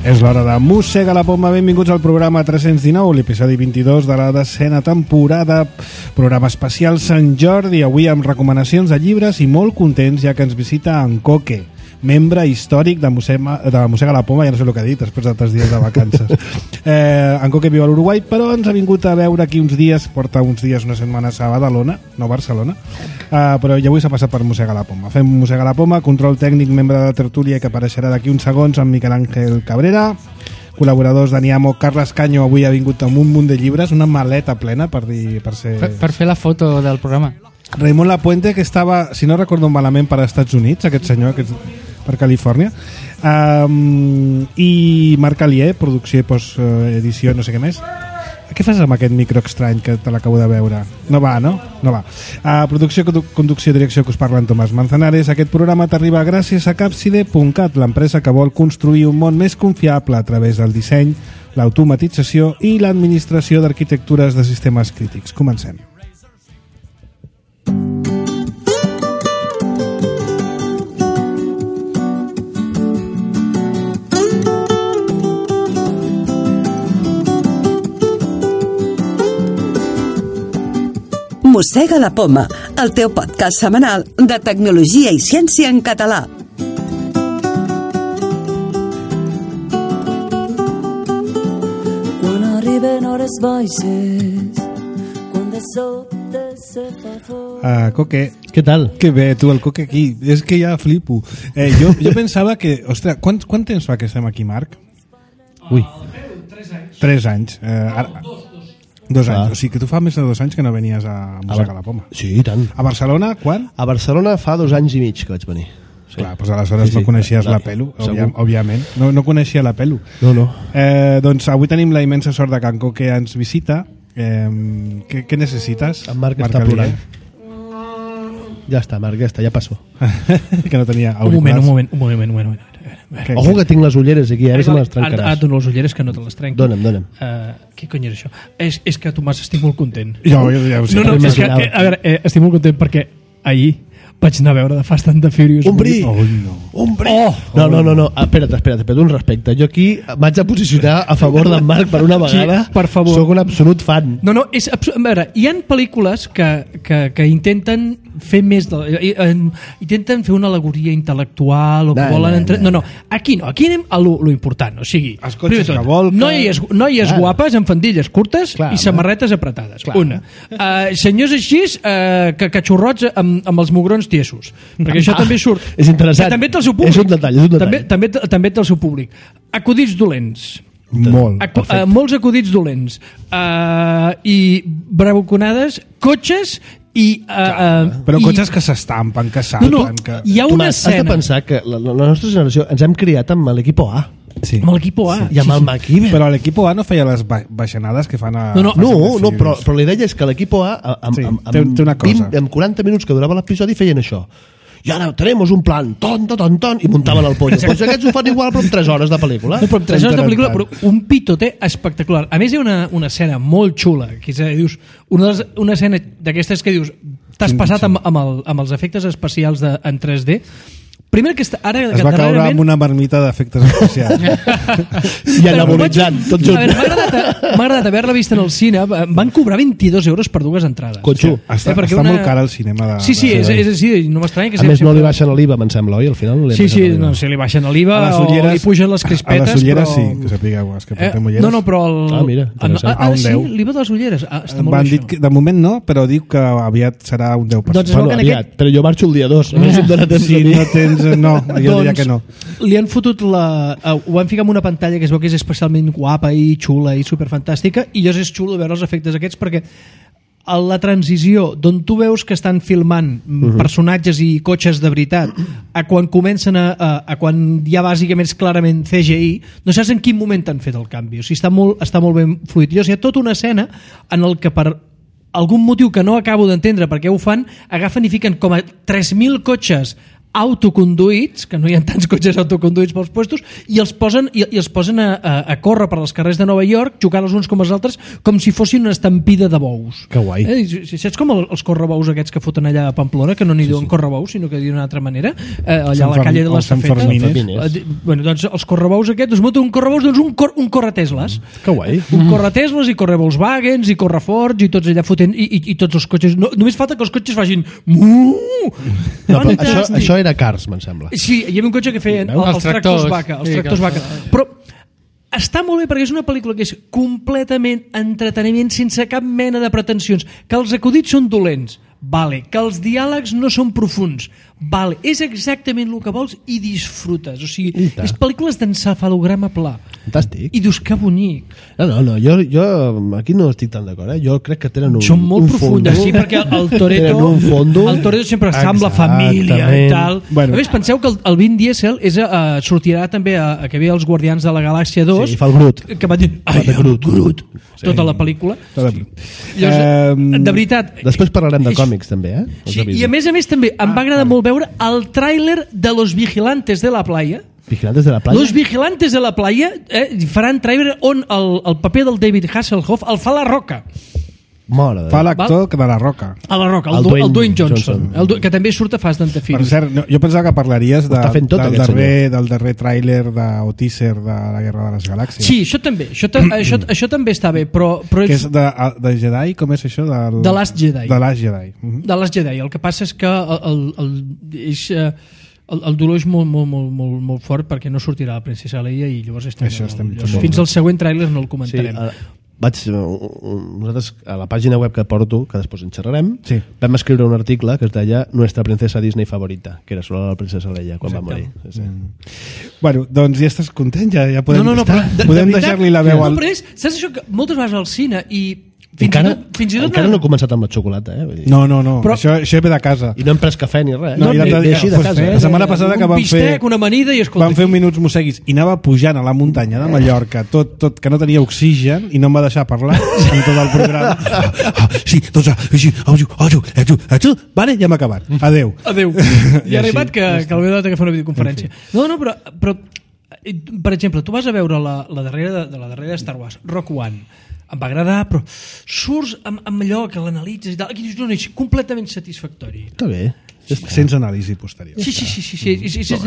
És l'hora de Mossega la Poma. Benvinguts al programa 319, l'episodi 22 de la 10ª temporada, programa especial Sant Jordi, avui amb recomanacions de llibres i molt contents ja que ens visita en Coque, membre històric de Mossega la Poma, ja no sé el que ha dit després de 3 dies de vacances. En Coque viu a l'Uruguai, però ens ha vingut a veure aquí uns dies, porta uns dies, una setmana a Badalona, no Barcelona, però ja avui s'ha passat per Mossega la Poma. Fem Mossega la Poma, control tècnic, membre de la tertúlia que apareixerà d'aquí uns segons, amb Miquel Àngel Cabrera, col·laboradors d'Aniamo, Carles Canyo avui ha vingut amb un munt de llibres, una maleta plena per fer la foto del programa. Raimon Lapuente, que estava, si no recordo malament, per als Estats Units, aquest senyor, per Califòrnia, i Marc Alier, producció i postedició, no sé què més. Què fas amb aquest micro estrany que te l'acabo de veure? No va, no? No va. Producció, conducció i direcció, que us parla en Tomàs Manzanares. Aquest programa t'arriba gràcies a Capside.cat, l'empresa que vol construir un món més confiable a través del disseny, l'automatització i l'administració d'arquitectures de sistemes crítics. Comencem. Mossega la Poma, el teu podcast setmanal de tecnologia i ciència en català. Quan arriben hores baixes, quan de sobte se fa fort. Coque. Què tal? Que bé, tu, el Coque aquí. És que ja flipo. Jo pensava que... Ostres, quant temps fa que estem aquí, Marc? Ui. 3 anys. 2 anys, o sigui que tu fa més de 2 anys que no venies a Mossega la Poma. Sí, i tant. A Barcelona, quan? A Barcelona fa 2 anys i mig que vaig venir. Sí. Clar, doncs aleshores no coneixies la Pelu, òbviament. No coneixia la Pelu. No. Doncs avui tenim la immensa sort de que en Coque ens visita. Què necessites? En Marc està plorant. Ja està, Marc, ja passó. Que no tenia auriculars. Un moment. Ojo que tinc les ulleres aquí, ara se me les trencaràs. Ara et dono les ulleres que no te les trenqui. Dóna'm. Què cony és això? És que, Tomàs, estic molt content. Ja ho sé. No, és que, a veure, estic molt content perquè ahir vaig anar a veure de Fast and the Furious. Ombrí! Ombrí! No, espera't, un respecte. Jo aquí m'haig de posicionar a favor d'en Marc per una vegada. Sí, per favor. Soc un absolut fan. No, a veure, hi ha pel·lícules que intenten fer més intenten fer una alegoria intel·lectual o que volen... No, aquí no, aquí anem a lo important, o sigui... Els cotxes que volquen... Noies guapes amb faldilles curtes i samarretes apretades. Una. Senyors així, cachorrots amb els mugrons tiesos, perquè això també surt... És interessant. També té el seu públic. És un detall. També té el seu públic. Acudits dolents. Molts acudits dolents. I bravuconades, cotxes i... però cotxes que s'estampen, que salten... Hi ha una escena... Has de pensar que la nostra generació ens hem criat amb l'equipo A. Sí. Amb l'equipo A. I amb el MacGyver. Però l'equipo A no feia les baixanades que fan a... No, però la idea és que l'equipo A amb 40 minuts que durava l'episodi feien això. I ara tenemos un plan, ton, i muntaven el pollo. Doncs aquests ho fan igual però amb 3 hores de pel·lícula. No, però amb 3 hores de pel·lícula, però un pitote espectacular. A més, hi ha una escena molt xula, que dius, una escena d'aquestes que dius, t'has passat amb els efectes especials en 3D. Primer que ara... Es va caure amb una marmita d'efectes especials. I anabolitzant, tot junt. M'ha agradat haver-la vista en el cine. Van cobrar 22 euros per 2 entrades. Cotxo. Està molt cara el cinema. Sí, no m'estranya que... A més, no li baixen l'IVA, me'n sembla, oi? Al final sí, si li baixen l'IVA o li pugen les crispetes... A les ulleres sí, que sapigueu, és que portem ulleres. No, però... mira, a un 10. Sí, l'IVA de les ulleres. Està molt bé això. De moment no, però dic que aviat serà un 10%. Bueno, aviat, però jo marxo el dia 2. Si no tens... No, jo diria que no. Li han fotut ho van ficar en una pantalla que es veu que és especialment guapa i xula i superfantàstica, i llavors és xulo veure els efectes aquests perquè a la transició d'on tu veus que estan filmant personatges i cotxes de veritat a quan comencen a quan ja bàsicament és clarament CGI, no saps en quin moment han fet el canvi, o sigui, està molt ben fluid. Llavors hi ha tota una escena en el que per algun motiu que no acabo d'entendre per què ho fan, agafen i fiquen com a 3.000 cotxes autoconduïts, que no hi ha tants cotxes autoconduïts pels puestos, i els posen a córrer per les carrers de Nova York, jugant els uns com els altres, com si fossin una estampida de bous. Que guai. Saps com els correbous aquests que foten allà a Pamplona, que no n'hi diuen correbous, sinó que diuen d'una altra manera, allà a la calle de l'Estafeta. Bueno, doncs els correbous aquests, es munta un correbous, doncs un corretesles. Que guai. Un corretesles i corre Volkswagens i corre Ford i tots allà fotent, i tots els cotxes, només falta que els cotxes facin això era Cars, me'n sembla. Sí, hi havia un cotxe que feien els tractors vaca. Però està molt bé perquè és una pel·lícula que és completament entreteniment sense cap mena de pretensions, que els acudits són dolents, vale, que els diàlegs no són profunds, vale, és exactament el que vols i disfrutes, o sigui, és pel·lícules d'encefalograma pla. Fantàstic. I dius, que bonic. No, jo aquí no estic tan d'acord, jo crec que tenen són molt profundes, sí, perquè el Toretto sempre està amb la família i tal. A més, penseu que el Vin Diesel sortirà també a que ve els Guardians de la Galàxia 2, sí, fa el Groot, que va dir, Groot, tota la pel·lícula. De veritat. Després parlarem de còmics també, sí, i a més també em va agradar molt veure el tràiler de Los Vigilantes de la Playa. Vigilantes de la Playa? Los Vigilantes de la Playa faran tràiler on el paper del David Hasselhoff el fa La Roca. Fa l'actor de La Roca. A La Roca, el Dwayne Johnson. Que també surt a Fast and the Furious. Per cert, jo pensava que parlaries del darrer tràiler o teaser de la Guerra de les Galàxies. Sí, això també. Això també està bé, però que és de Jedi? Com és això? De Last Jedi. De Last Jedi. De Last Jedi. El que passa és que el dolor és molt fort perquè no sortirà la princesa Leia i llavors fins al següent tràiler no el comentarem. Nosaltres a la pàgina web que porto, que després en xerrarem, vam escriure un article que es deia Nuestra princesa Disney favorita, que era sobre la princesa Leia quan va morir. Bueno, doncs ja estàs content, ja podem deixar-li la veu al... No, però saps això que moltes vegades al cine i encara no he començat amb la xocolata, No, però això ve de casa. I no hem pres cafè ni res. La setmana passada que una amanida i escolta, vam fer minuts musseguis i anava pujant a la muntanya de Mallorca, tot que no tenia oxigen i no em va deixar parlar en tot el programa. Sí, doncs vale, ja hem acabat. Adéu. I ha arribat que el meu data que fa una videoconferència. No, però per exemple, tu vas a veure la darrera de Star Wars, Rogue One, em va agradar, però surts amb allò que l'analitzes i tal, aquí dius, no, és completament satisfactori. Està bé. Sense anàlisi posterior. Sí.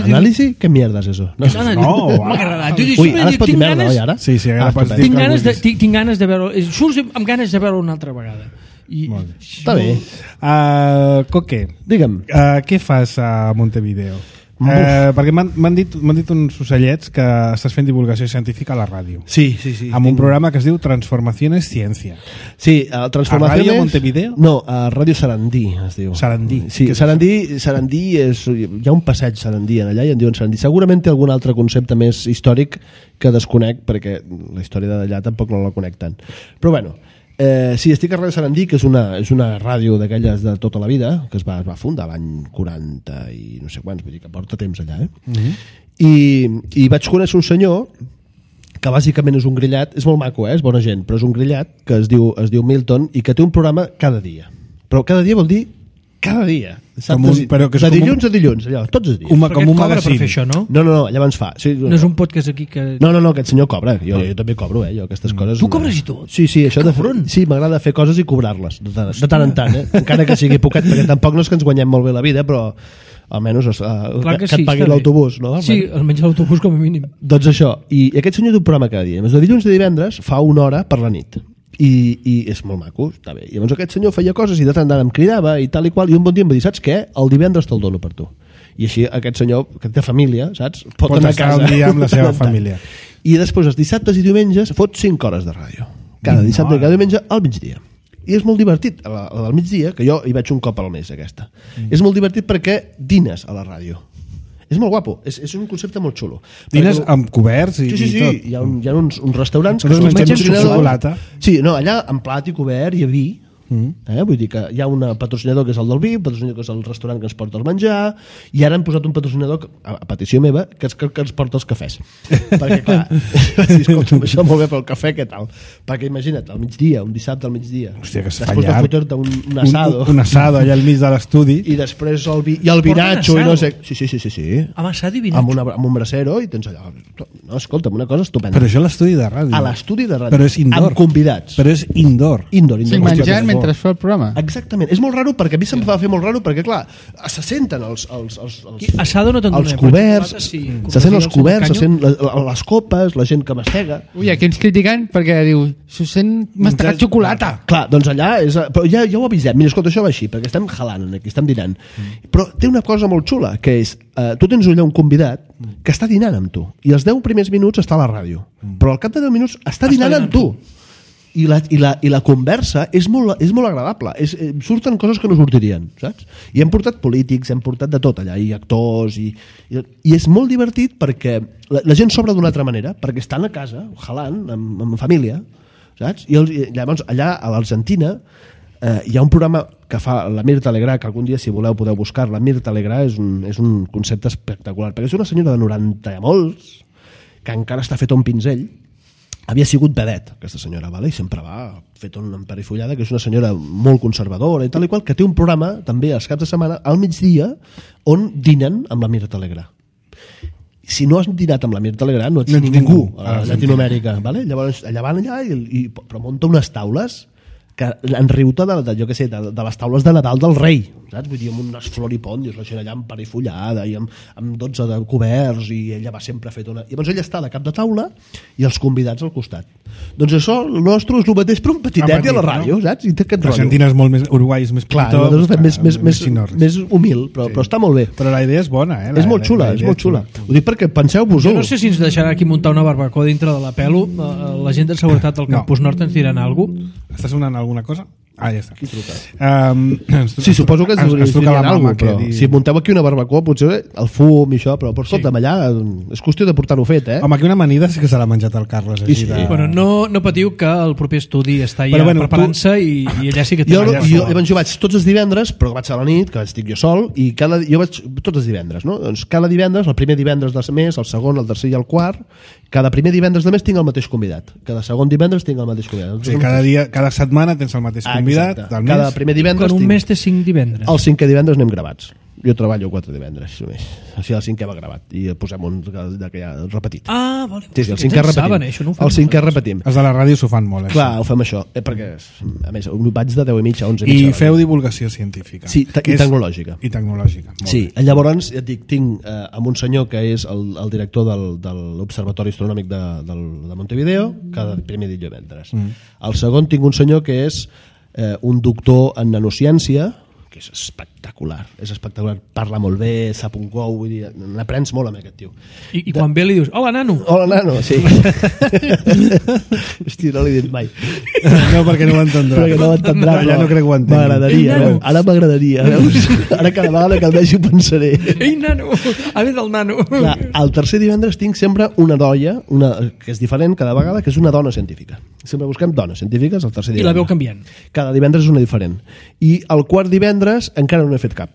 ¿Anàlisi? ¿Qué mierda es eso? No, m'ha agradat. Ui, ara es pot dir merda, oi, ara? Sí, tinc ganes de veure... Surts amb ganes de veure una altra vegada. Està bé. Coque, digue'm. Què fas a Montevideo? Perquè m'han dit uns ocellets que estàs fent divulgació científica a la ràdio. Sí. Amb un programa que es diu Transformaciones Ciencia. Sí, Transformaciones... A Ràdio Montevideo? No, a Ràdio Sarandí es diu. Sarandí. Sí, Sarandí és... Hi ha un passeig Sarandí allà i en diuen Sarandí. Segurament té algun altre concepte més històric que desconec, perquè la història d'allà tampoc no la conec tant. Però bueno... sí, estic a Ràdio Sarandí, que és una ràdio d'aquelles de tota la vida, que es va fundar l'any 40 i no sé quants, vull dir que porta temps allà, I vaig conèixer un senyor que bàsicament és un grillat, és molt maco, és bona gent, però és un grillat que es diu Milton i que té un programa cada dia. Però cada dia vol dir cada dia. De dilluns a dilluns, allò, tots els dies. Com un magazín. Per fer això, no? No, allà ens fa. Sí, no és un podcast aquí que... No, aquest senyor cobra. Jo també cobro, jo aquestes coses... Tu cobres i tot? Sí, això sí, m'agrada fer coses i cobrar-les, de tant en tant, encara que sigui poquet, perquè tampoc no és que ens guanyem molt bé la vida, però almenys que et pagui l'autobús, no? Sí, almenys l'autobús com a mínim. Doncs això, i aquest senyor té un programa cada dia. De dilluns a divendres fa una hora per la nit. I és molt maco, està bé. I llavors aquest senyor feia coses i de tant en tant em cridava i tal i qual, i un bon dia em va dir, saps què? El divendres te'l dono per tu. I així aquest senyor, que té família, saps? Pot anar a casa un dia amb la seva família. I després els dissabtes i diumenges fot 5 hores de ràdio. Cada dissabte i cada diumenge al migdia. I és molt divertit, la del migdia, que jo hi vaig un cop al mes aquesta. És molt divertit perquè dines a la ràdio. És molt guapo, és un concepte molt xulo. Dines amb coberts i tot. Sí, hi ha uns restaurants que mengen xocolata. Sí, no, allà amb plat i cobert i vi, Vull dir que hi ha un patrocinador que és el del vi, un patrocinador que és el restaurant que ens porta el menjar, i ara han posat un patrocinador, a petició meva, que ens porta els cafès. Perquè, clar, escolta'm, això molt bé, però el cafè què tal? Perquè imagina't, al migdia, un dissabte al migdia, hòstia, que es fa després de llarg. fotre-te un asado. Un asado allà al mig de l'estudi. I després el vinatxo, i no sé... Sí. Amb asado i vinatxo. Amb un brasero, i tens allà... No, escolta'm, una cosa estupenda. Però això a l'estudi de ràdio. A l'estudi de ràdio. Però és indoor. Amb convidats. Però és indoor. Indoor. Sí, menjant mentre es fa el programa. Exactament. És molt raro perquè a mi se'm va fer molt raro perquè, clar, se senten els asado no te'n donem. Els coberts, se senten els coberts, se senten les copes, la gent que mastega. Ui, aquí ens critiquen perquè diu, s'ho sent mastegat xocolata. Clar, doncs allà és... Però ja ho avisem. Mira, escolta, això va així, perquè estem jalant aquí, estem dinant. Però té una cosa molt xula, que és, tu tens allà un convidat que està dinant amb tu, i els 10 primers minuts està a la ràdio, però al cap de 10 minuts està dinant amb tu. I la conversa és molt agradable. Surten coses que no sortirien, saps? I hem portat polítics, hem portat de tot allà, i actors, i és molt divertit perquè la gent s'obre d'una altra manera, perquè estan a casa, jalant, amb família, saps? I llavors allà a l'Argentina hi ha un programa que fa la Mirta Legrà, que algun dia, si voleu, podeu buscar. La Mirta Legrà és un concepte espectacular, perquè és una senyora de 90 i molts, que encara està feta un pinzell. Havia sigut vedet, aquesta senyora, vale? I sempre va fet una emperifollada, que és una senyora molt conservadora i tal i qual, que té un programa, també als caps de setmana, al migdia, on dinen amb la Mirta Legrà. Si no has dinat amb la Mirta Legrà, no ets ningú a Llatinoamèrica, vale? Llavors allà van però munta unes taules que en riu-te jo què sé, de les taules de Nadal del rei, saps? Vull dir, amb unes floripòndios, la gent allà emperifollada i amb 12 de coberts, i ella va sempre fet una... I llavors ella està de cap de taula i els convidats al costat. Doncs això, el nostre és el mateix, però un petitet i a la ràdio, saps? I té aquest rotllo. L'Argentina és molt més... Uruguai és més petitó. Clar, nosaltres fem més humil, però està molt bé. Però la idea és bona, eh? És molt xula. Ho dic perquè penseu-vos-ho. Jo no sé si ens deixarà aquí muntar una barbacoa dintre de la Pelo. La gent de seguretat del Campus Nord ens diran alguna cosa. Està sonant alguna cosa? Ah, ja està. Qui truca? Sí, suposo que ens truca la mama, però si munteu aquí una barbacoa, potser el fum i això, però escolta'm, allà és qüestió de portar-ho fet, eh? Home, aquí una amanida sí que se l'ha menjat el Carles. Però no patiu que el proper estudi està ja preparant-se i allà sí que té... Jo vaig tots els divendres, però vaig a la nit, que estic jo sol, i jo vaig tots els divendres, no? Doncs cada divendres, el primer divendres del mes, el segon, el tercer i el quart, cada primer divendres de mes tinc el mateix convidat. Cada segon divendres tinc el mateix convidat. O sigui, cada setmana tens el mateix convidat del mes. Cada primer divendres un mes té 5 divendres. El 5è divendres anem gravats. Jo treballo 4 divendres. Així el 5è va gravat. I posem un que ja repetit. Ah, vale. Sí, el 5è repetim. El 5è repetim. Els de la ràdio s'ho fan molt, Clar, ho fem això. Perquè, a més, vaig de 10:30 a 11:30. I feu divulgació científica. Sí, i tecnològica. Sí, llavors, ja et dic, tinc amb un senyor que és el director de l'Observatori Astronòmic de Montevideo, cada primer divendres. El segon tinc un senyor que és un doctor en nanociència, que és espectacular, parla molt bé, sap un gou, vull dir, n'aprens molt amb aquest tio. I quan ve li dius, hola nano. Hola nano, sí. Hòstia, no l'he dit mai. No, perquè no ho entendrà. Ja no crec que ho entengui. M'agradaria, ara m'agradaria. Ara cada vegada que el vegi ho pensaré. Ei nano, a veure del nano. Clar, el tercer divendres tinc sempre una noia, que és diferent cada vegada, que és una dona científica. Sempre busquem dones científiques el tercer divendres. I la veu canviant. Cada divendres és una diferent. I el quart divendres encara no he fet cap.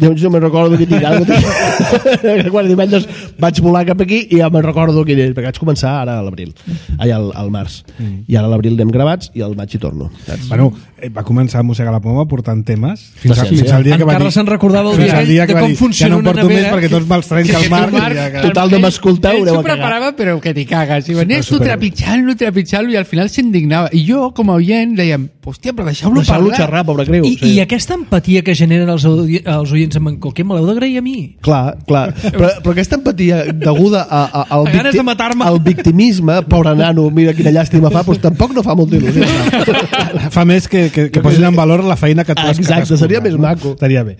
Llavors jo me'n recordo que tinc el quart divendres vaig volar cap aquí i ja me'n recordo quin és, perquè vaig començar ara a l'abril, al març, i ara a l'abril anem gravats i al maig hi torno, saps? Bueno, va començar a mossegar la poma portant temes fins al dia que va dir... Encara se'n recordava el dia de com funciona una nevera. Ja no porto més perquè tots me'ls trenca el mar. Total, no m'escolteu, ell s'ho preparava però que t'hi cagues i venies tu trepitjant-lo i al final s'indignava i jo com a oient dèiem, hòstia, però deixeu-lo xerrar, pobre creu. I aquesta empatia que generen els oients amb en Coquer me l'heu d'agrair a mi. Clar, però aquesta empatia deguda al victimisme, pobre nano, mira quina llàstima fa, doncs tampoc no fa molta il·lusió. Fa més que posin en valor la feina que tu has cadascuna. Exacte, seria més maco. Estaria bé.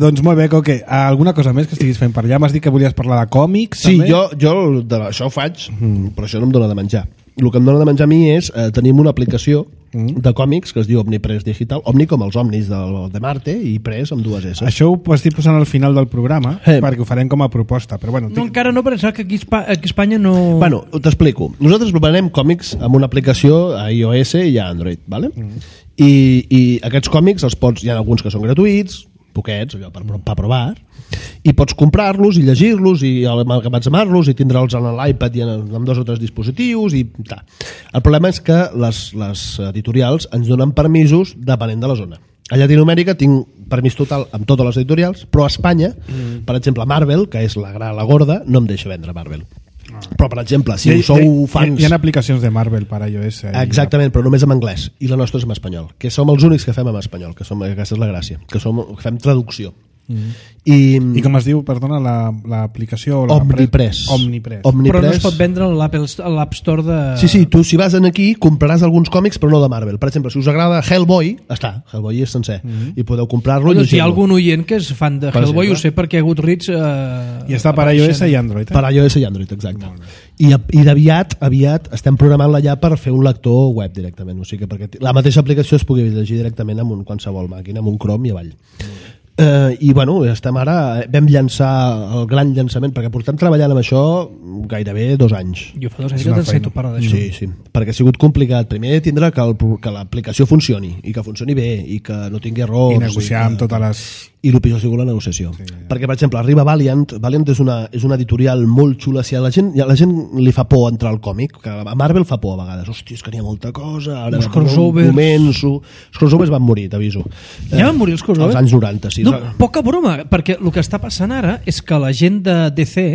Doncs molt bé, Coque, alguna cosa més que estiguis fent per allà? M'has dit que volies parlar de còmics? Sí, jo això ho faig, però això no em dóna de menjar. el que em dona de menjar a mi és tenim una aplicació de còmics que es diu Omnipress Digital, Omni com els Omnis de Marte i Press amb 2 S. Això ho estic posant al final del programa perquè ho farem com a proposta, però bueno... No, encara no, pensava que aquí a Espanya no... Bueno, t'explico. Nosaltres preparem còmics amb una aplicació a iOS i a Android, ¿vale? I aquests còmics els pots... Hi ha alguns que són gratuïts, poquets, allò per provar, i pots comprar-los i llegir-los i amalgamar-los i tindre'ls en l'iPad i en 2 o 3 dispositius i tal. El problema és que les editorials ens donen permisos depenent de la zona. A Llatinoamèrica tinc permís total amb totes les editorials, però a Espanya, per exemple, Marvel, que és la gorda, no em deixa vendre Marvel. Però, per exemple, si sou fans... Hi ha aplicacions de Marvel per iOS. Exactament, però només en anglès. I la nostra és en espanyol. Que som els únics que fem en espanyol, que aquesta és la gràcia. Que fem traducció. I com es diu, perdona, l'aplicació? Omnipress. Però no es pot vendre a l'App Store de... Sí, tu si vas aquí compraràs alguns còmics però no de Marvel. Per exemple, si us agrada Hellboy, Hellboy és sencer i podeu comprar-lo i llegir-lo. Si hi ha algun oient que és fan de Hellboy, ho sé perquè Goodreads... I està per iOS i Android. Per iOS i Android, exacte. I aviat estem programant-la ja per fer un lector web directament, o sigui que perquè la mateixa aplicació es pugui llegir directament amb qualsevol màquina, amb un Chrome i avall. I bueno, estem ara, vam llançar el gran llançament, perquè portem treballant amb això gairebé 2 anys. Jo fa 2 anys que te'n sento parlar d'això. Sí, perquè ha sigut complicat. Primer tindre que l'aplicació funcioni, i que funcioni bé, i que no tingui errors. I negociar amb totes les... I el pitjor ha sigut la negociació. Perquè, per exemple, arriba Valiant és una editorial molt xula. Si a la gent li fa por entrar al còmic, que a Marvel fa por a vegades. Hòstia, és que n'hi ha molta cosa. Ara els crossovers. Els crossovers van morir, t'aviso. Ja van morir els crossovers? Als anys 90, sí. No, poca broma, perquè el que està passant ara és que la gent de DC,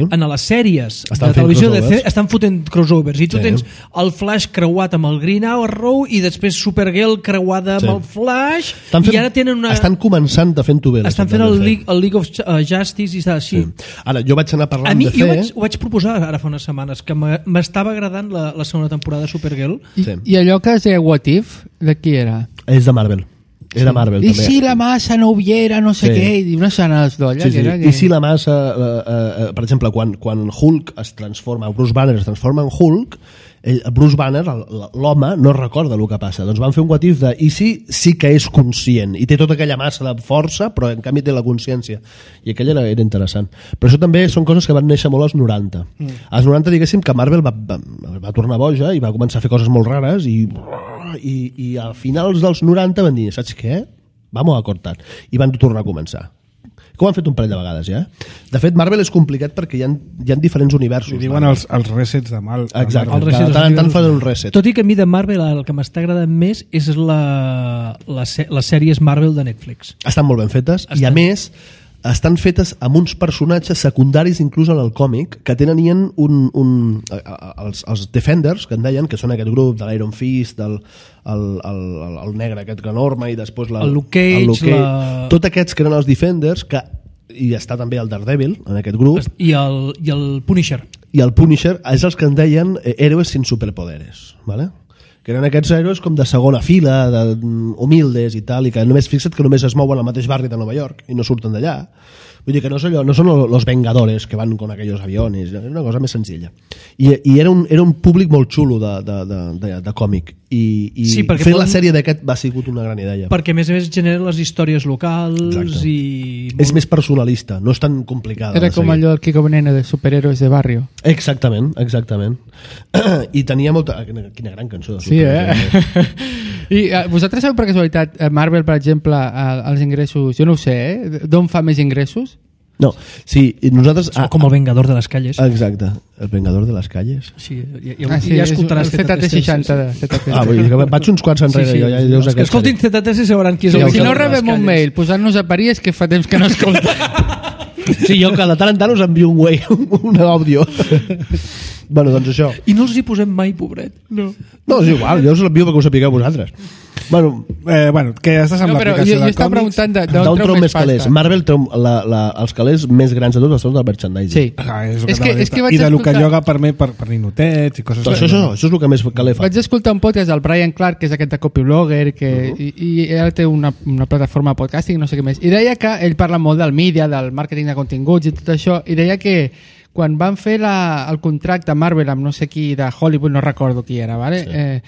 en les sèries de televisió de DC, estan fotent crossovers. I tu tens el Flash creuat amb el Green Arrow i després Supergirl creuada amb el Flash. I ara tenen una... Estan començant a fer estan fent el League of Justice i està així. Ara, jo vaig anar parlant de fer... Jo ho vaig proposar ara fa unes setmanes, que m'estava agradant la segona temporada de Supergirl. I allò que es deia What If, de qui era? És de Marvel. Era Marvel, I també. si la massa no hubiera no sé què, i unes sanes d'olla. I si la massa, per exemple, quan Hulk es transforma, Bruce Banner es transforma en Hulk, Bruce Banner, l'home, no recorda el que passa. Doncs van fer un what if de i si sí que és conscient i té tota aquella massa de força, però en canvi té la consciència. I aquell era interessant. Però això també són coses que van néixer molt als 90. Als 90, diguéssim, que Marvel va tornar boja i va començar a fer coses molt rares i a finals dels 90 van dir, saps què? Vamos a cortar. I van tornar a començar. Que ho han fet un parell de vegades ja. De fet, Marvel és complicat perquè hi ha diferents universos. I diuen els resets de mal. Exacte, tant en tant fan un reset. Tot i que a mi de Marvel el que m'està agradant més és les sèries Marvel de Netflix. Estan molt ben fetes i a més estan fetes amb uns personatges secundaris inclús en el còmic que tenien els Defenders, que en deien, que són aquest grup de l'Iron Fist, el negre aquest enorme i després el Luke Cage, tots aquests que eren els Defenders, i està també el Daredevil en aquest grup, i el Punisher. I el Punisher és els que en deien héroes sin superpoderes, ¿vale? Que eren aquests héroes com de segona fila, humildes i tal, i que només fixa't que només es mouen al mateix barri de Nova York i no surten d'allà. Vull dir que no són los Vengadores que van con aquellos aviones, és una cosa més senzilla. I era un públic molt xulo de còmic. I sí, fer la sèrie d'aquest va sigut una gran idea. Perquè a més genera les històries locals. Exacte. I... És més personalista, no és tan complicada. Era com allò del Kiko Veneno de superhéroes de barrio. Exactament. I tenia molta... Quina gran cançó. Sí, I vosaltres sabeu per casualitat Marvel, per exemple, els ingressos, jo no ho sé, d'on fa més ingressos? No, sí, nosaltres... Com el Vengador de les Calles. Exacte, el Vengador de les Calles. Sí, ja escoltaràs el ZT60. Vull dir que vaig uns quants enrere. Sí. Escoltin ZT i sabran qui és el Vengador. Si no rebem un mail posant-nos a parir és que fa temps que no escolta. Sí, jo que de tant en tant us envio un àudio. Bueno, doncs això. I no els hi posem mai, pobret. No, és igual, jo us l'envio perquè ho sapigueu vosaltres. Bueno, que estàs amb l'aplicació de còmics. Jo estava preguntant d'on treu més calés. Marvel treu els calés més grans de tots els treu del merchandising. Sí. I de lo que lloga per ninotets i coses així. Això és el que més calé fa. Vaig escoltar un podcast del Brian Clark, que és aquest de copyblogger, i ara té una plataforma de podcasting, no sé què més. I deia que ell parla molt del mídia, del màrqueting de continguts i tot això, i deia que quan van fer el contracte Marvel amb no sé qui de Hollywood, no recordo qui era, ¿vale? Sí.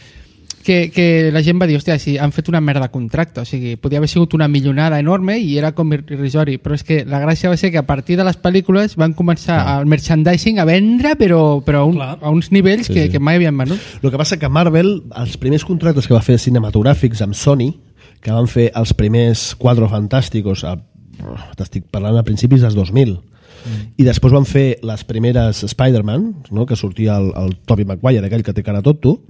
Que la gent va dir, hòstia, si han fet una merda de contracte, o sigui, podia haver sigut una millonada enorme i era com irrisori, però és que la gràcia va ser que a partir de les pel·lícules van començar el merchandising a vendre, però a uns nivells que mai havien venut. El que passa que Marvel, els primers contractes que va fer cinematogràfics amb Sony, que van fer els primers Quatre Fantásticos, t'estic parlant a principis dels 2000, i després van fer les primeres Spider-Man, no? Que sortia el Tobey Maguire, aquell que té cara tonto.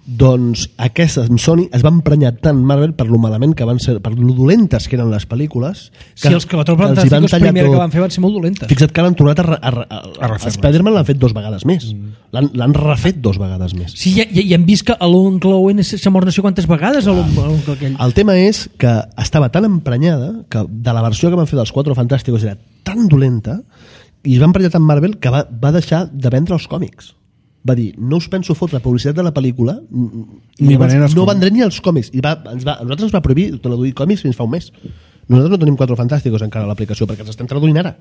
Doncs aquestes amb Sony es van emprenyar tant Marvel per lo malament que van ser, per lo dolentes que eren les pel·lícules, que els Quatre Fantàsticos primer que van fer van ser molt dolentes. Fixa't que l'han tornat a Spider-Man l'han fet 2 vegades més, l'han refet 2 vegades més. Sí, i hem vist que l'oncle Owen s'ha mort no sé quantes vegades l'oncle aquell. El tema és que estava tan emprenyada que de la versió que van fer dels Quatre Fantàsticos era tan dolenta i es va emprenyar tant Marvel que va deixar de vendre els còmics. Va dir, no us penso fotre publicitat de la pel·lícula i no vendré ni els còmics. I a nosaltres ens va prohibir traduir còmics fins fa un mes. Nosaltres no tenim Quatre Fantàsticos encara a l'aplicació perquè els estem traduint ara.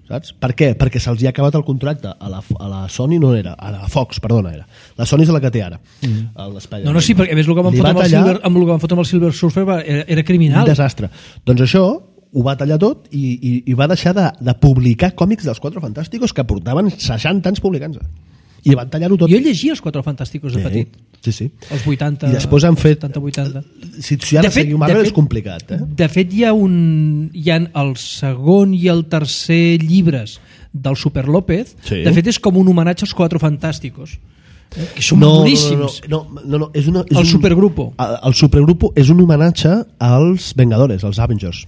Saps? Per què? Perquè se'ls ha acabat el contracte. A la Sony no era, a la Fox, perdona, era. La Sony és la que té ara. No, sí, perquè a més el que van fotre amb el Silver Surfer era criminal. Un desastre. Doncs això ho va tallar tot i va deixar de publicar còmics dels Quatre Fantàsticos que portaven 60 anys publicant-se. I van tallar-ho tot. Jo llegia els Quatre Fantàsticos de petit. Sí. Els 80. I després han fet 80. Si ara seguiu Marvel és complicat. De fet hi ha el segon i el tercer llibres del Super López. Sí. De fet és com un homenatge als Quatre Fantàsticos. Que són boníssims. No, el Supergrupo. El Supergrupo és un homenatge als Vengadores, als Avengers.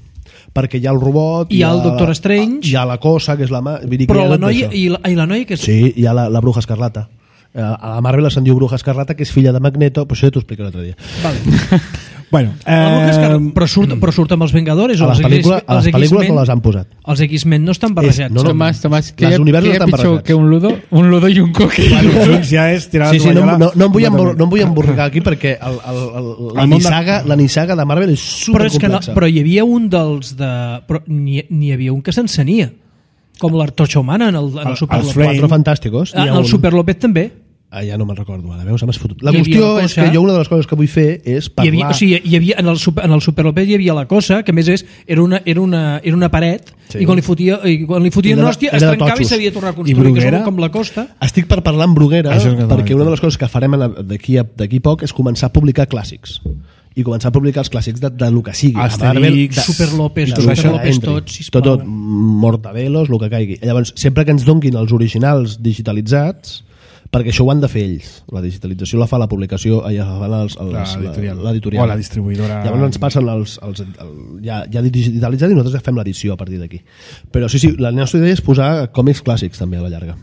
Perquè hi ha el robot, hi ha el Doctor Strange, hi ha la cosa que és la mà, però la noia i la noia que és... Sí, hi ha la Bruja Escarlata. A la Marvel se'n diu Bruja Escarlata, que és filla de Magneto, però això ja t'ho explico l'altre dia. Vale. Bueno, però surt amb els Vengadores o a les pel·lícules no les han posat. Els X-Men no estan barrejats. Tomàs, que hi ha pitjor que un ludo i un coque. Ja és tirar no em vull emborricar aquí perquè la nissaga de Marvel és supercomplexa. Però hi havia un dels de... N'hi havia un que s'encenia, com l'Artocha Humana en el Super López. Els Quatre Fantàsticos. En el Super López també. Ja no me'n recordo, ara veus, m'has fotut. La qüestió és que jo una de les coses que vull fer és parlar... Hi havia en el Super López hi havia la cosa, que a més era una paret, i quan li fotien una hòstia es trencava i s'havia de tornar a construir, que és com la Costa. Estic per parlar amb Bruguera, perquè una de les coses que farem d'aquí poc és començar a publicar clàssics. I començar a publicar els clàssics de lo que sigui. Asterix, Super López, tots, sisplau. Tot, Mortadelos, el que caigui. Llavors, sempre que ens donguin els originals digitalitzats, perquè això ho han de fer ells. La digitalització la fa la publicació, l'editorial. O la distribuïdora. Llavors ens passen ja digitalitzat i nosaltres fem l'edició a partir d'aquí. Però sí, la nostra idea és posar còmics clàssics també a la llarga.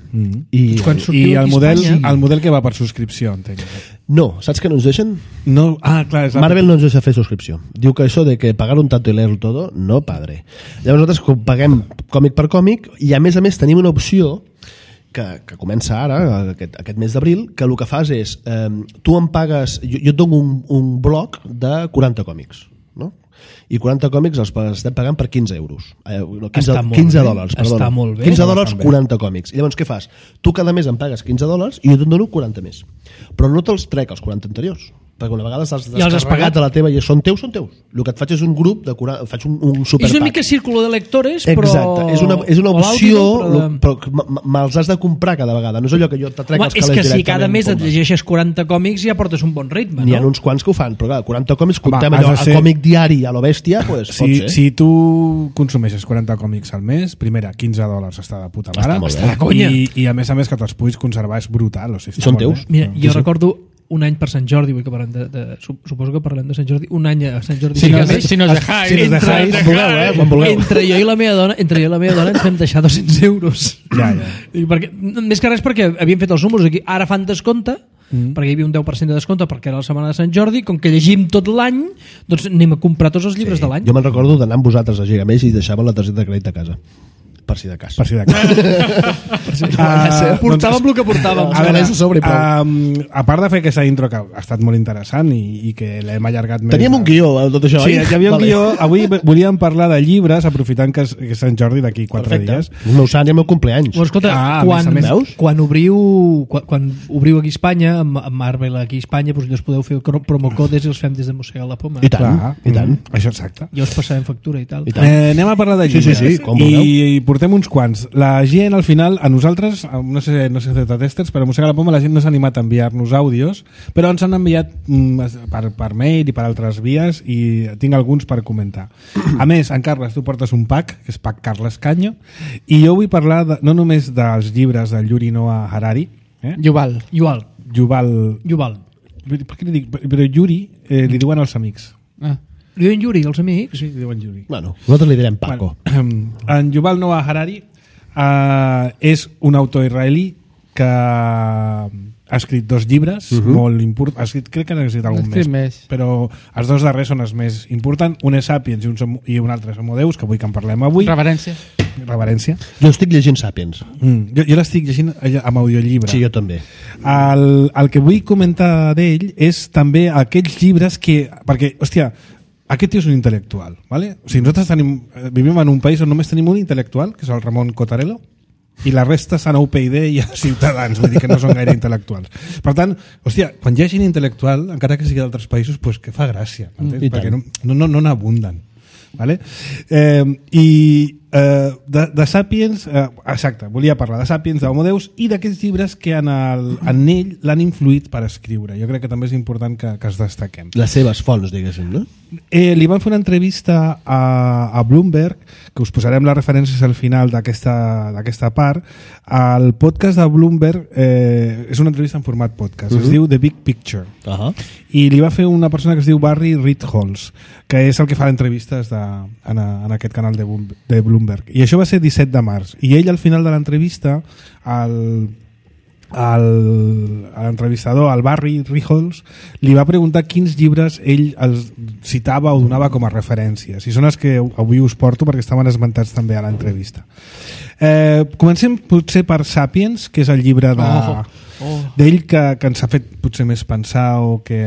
I el model que va per subscripció, entenc. No, saps que no ens deixen? No. Clar, Marvel no ens deixa fer subscripció. Diu que això de que pagar un tanto y leer todo, no padre. Llavors nosaltres paguem còmic per còmic i a més tenim una opció que comença ara, aquest mes d'abril, que el que fas és, tu em pagues, jo et dono un bloc de 40 còmics, no? I 40 còmics els estem pagant per 15 euros. 15 dòlars, perdona. Està molt bé. 15 dòlars, 40 còmics. I llavors què fas? Tu cada mes em pagues 15 dòlars i jo te'n dono 40 més. Però no te'ls trec els 40 anteriors, perquè una vegada has descarregat a la teva i són teus. El que et faig és un grup, faig un superpack. És una mica círculo de lectores, però... Exacte, és una opció, però me'ls has de comprar cada vegada. No és allò que jo te trec els calés directament. És que si cada mes et llegeixes 40 còmics ja portes un bon ritme, no? N'hi ha uns quants que ho fan, però clar, 40 còmics, comptem allò, el còmic diari a lo bèstia, pues pot ser. Si tu consumeixes 40 còmics al mes, primera, 15 dòlars està de puta mare. Està de conya. I a més que te'ls puguis conservar és brutal. I són teus. Mira, jo recordo un any per Sant Jordi, vull que parlem suposo que parlem de Sant Jordi, un any a Sant Jordi. Si nos dejáis. Quan vulgueu. Entre jo i la meva dona ens vam deixar 200 euros. Ja. Més que res perquè havíem fet els números aquí. Ara fan descompte, perquè hi havia un 10% de descompte perquè era la setmana de Sant Jordi, com que llegim tot l'any, doncs anem a comprar tots els llibres de l'any. Jo me'n recordo d'anar amb vosaltres a Gigamés i deixàvem la targeta de crèdit a casa. Per si de cas. Portàvem el que portàvem. A veure, a part de fer aquesta intro que ha estat molt interessant i que l'hem allargat més... Teníem un guió, tot això, oi? Sí, hi havia un guió. Avui volíem parlar de llibres, aprofitant que és Sant Jordi d'aquí 4 dies. El meu sant i el meu cumpleaños. Escolta, quan obriu aquí a Espanya, amb Marvel aquí a Espanya, doncs us podeu fer promocodes i els fem des de Mossegar la Poma. I tant. Això exacte. Ja us passarem factura i tal. Anem a parlar de llibres. Sí, i portem uns quants. La gent, al final, a nosaltres, no sé si testers, però a Mossegar la Poma la gent no s'ha animat a enviar-nos àudios, però ens han enviat per mail i per altres vies i tinc alguns per comentar. A més, en Carles, tu portes un pack, que és pack Carles Canyo, i jo vull parlar no només dels llibres del Yuri Noah Harari, Yuval. Per què li dic? Però Yuri li diuen els amics. Li diuen Yuri, els amics? Sí, li diuen Yuri. Bueno, nosaltres li direm Paco. En Yuval Noah Harari és un autor israelí que ha escrit 2 llibres molt importants. Crec que n'ha escrit algun més, però els 2 darrers són els més importants. Un és Sapiens i un altre és Homo Deus, que vull que en parlem avui. Reverència. Jo estic llegint Sapiens. Jo l'estic llegint amb audiollibre. Sí, jo també. El que vull comentar d'ell és també aquells llibres que... Perquè, hòstia, aquest tio és un intel·lectual, ¿vale? O sigui, nosaltres vivim en un país on només tenim un intel·lectual, que és el Ramon Cotarello, i la resta són a UPyD i a Ciutadans, vull dir que no són gaire intel·lectuals. Per tant, hòstia, quan hi ha gent intel·lectual, encara que sigui d'altres països, pues que fa gràcia, perquè no n'abunden. Vale? De Sapiens, exacte, volia parlar de Sapiens, d'Homo Deus i d'aquests llibres que en ell l'han influït per escriure. Jo crec que també és important que es destaquem. Les seves fonts, diguéssim, no? Li van fer una entrevista a Bloomberg, que us posarem les referències al final d'aquesta part. El podcast de Bloomberg és una entrevista en format podcast, es diu The Big Picture, i li va fer una persona que es diu Barry Ritholtz, que és el que fa entrevistes en aquest canal de Bloomberg, i això va ser 17 de març, i ell al final de l'entrevista l'entrevistador, el Barry Ritholtz, li va preguntar quins llibres ell els citava o donava com a referències, i són els que avui us porto perquè estaven esmentats també a l'entrevista. Comencem potser per Sapiens, que és el llibre d'ell que ens ha fet potser més pensar o que...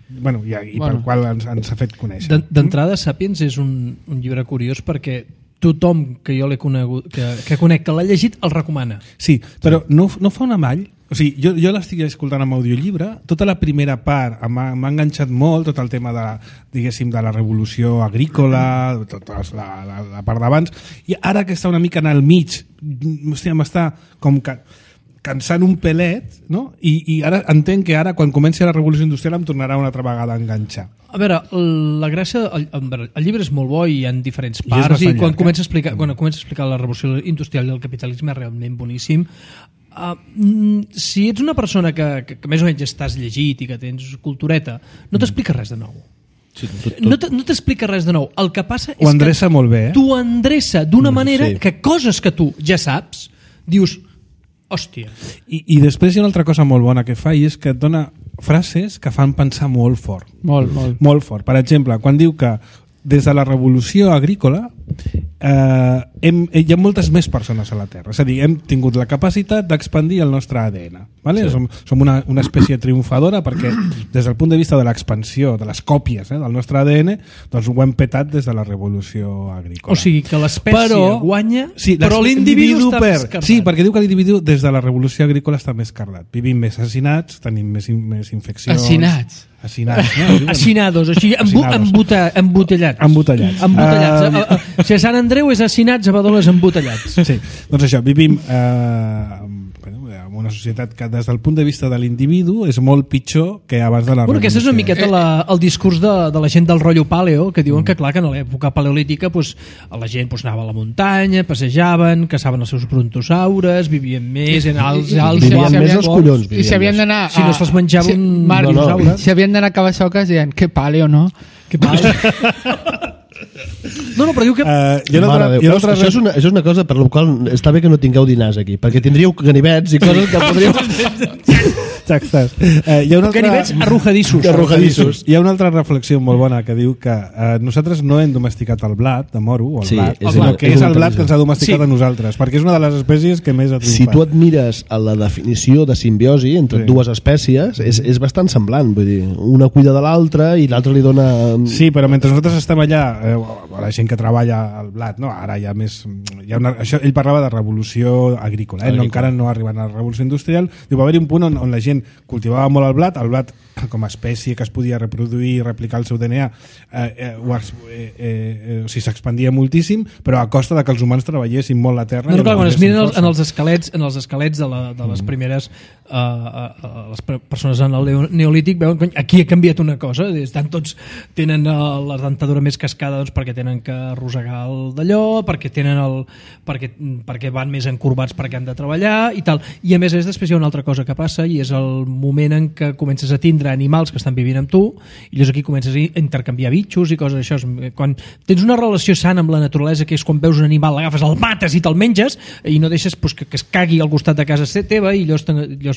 Bueno, pel qual ens ha fet conèixer. D'entrada, Sapiens és un llibre curiós perquè tothom que jo l'he conegut, que conec, que l'ha llegit, el recomana. Sí, però no fa un amall. O sigui, jo l'estic escoltant amb audiollibre, tota la primera part m'ha enganxat molt, tot el tema de la revolució agrícola, tota la part d'abans, i ara que està una mica en el mig, hòstia, m'està com que cansant un pelet, no? I ara entenc que ara, quan comenci la revolució industrial, em tornarà una altra vegada a enganxar. A veure, la gràcia... El llibre és molt bo i hi ha diferents parts, i quan comença a explicar la revolució industrial i el capitalisme és realment boníssim. Si ets una persona que més o menys estàs llegit i que tens cultureta, no t'explica res de nou. Sí, no t'explica res de nou. El que passa és endreça molt bé, t'ho endreça d'una manera que coses que tu ja saps, dius... Hòstia. I després hi ha una altra cosa molt bona que fa, i és que et dona frases que fan pensar molt fort. Molt fort. Per exemple, quan diu que des de la revolució agrícola hi ha moltes més persones a la Terra. És a dir, hem tingut la capacitat d'expandir el nostre ADN. Vale? Sí. Som una espècie triomfadora perquè des del punt de vista de l'expansió, de les còpies del nostre ADN, doncs ho hem petat des de la revolució agrícola. O sigui que l'espècie guanya, però l'individu està més cardat. Sí, perquè diu que l'individu des de la revolució agrícola està més cardat. Vivim més assassinats, tenim més infeccions... Assinats, no? Assinados, així, embotellats. Si a Sant Andreu és assinats, a Badalona és embotellats. Sí, doncs això, vivim en una societat que des del punt de vista de l'individu és molt pitjor que abans de la revolució. Aquest és una miqueta el discurs de la gent del rotllo paleo, que diuen que clar que en l'època paleolítica la gent anava a la muntanya, passejaven, caçaven els seus brontosaures, vivien més en alts vivien més els collons. I si havien d'anar... Si no se'ls menjava un dinosaure. Si havien d'anar a Cabasoques, deien, que paleo, no? Que paleo. No, però diu que... Això és una cosa per la qual està bé que no tingueu dinars aquí, perquè tindríeu ganivets i coses que podríeu... Exactes. Hi ha una altra... Ganivets arrojadissos. Hi ha una altra reflexió molt bona que diu que nosaltres no hem domesticat el blat de moro, o el blat, sinó que és el blat que ens ha domesticat a nosaltres, perquè és una de les espècies que més ha triomfat. Si tu et mires a la definició de simbiosi entre dues espècies, és bastant semblant, vull dir, una cuida de l'altra i l'altra li dona... Sí, però mentre nosaltres estem allà, la gent que treballa el blat, no? Ara hi ha més... Això, ell parlava de revolució agrícola, no, encara no arribant a la revolució industrial. Diu, va haver-hi un punt on la gent cultivava molt el blat com a espècie que es podia reproduir i replicar el seu DNA s'expandia moltíssim, però a costa de que els humans treballessin molt la terra. No, clar, quan es miren en els esquelets de les primeres les persones en el neolític, veuen que aquí ha canviat una cosa, tots tenen la dentadura més cascada perquè tenen que arrossegar el d'allò, perquè van més encorbats perquè han de treballar i tal, i a més després hi ha una altra cosa que passa i és el moment en què comences a tindre animals que estan vivint amb tu i llavors aquí comences a intercanviar bitxos i coses això. Quan tens una relació sana amb la naturalesa, que és quan veus un animal, l'agafes, el mates i te'l menges i no deixes que es cagui al costat de casa teva i llavors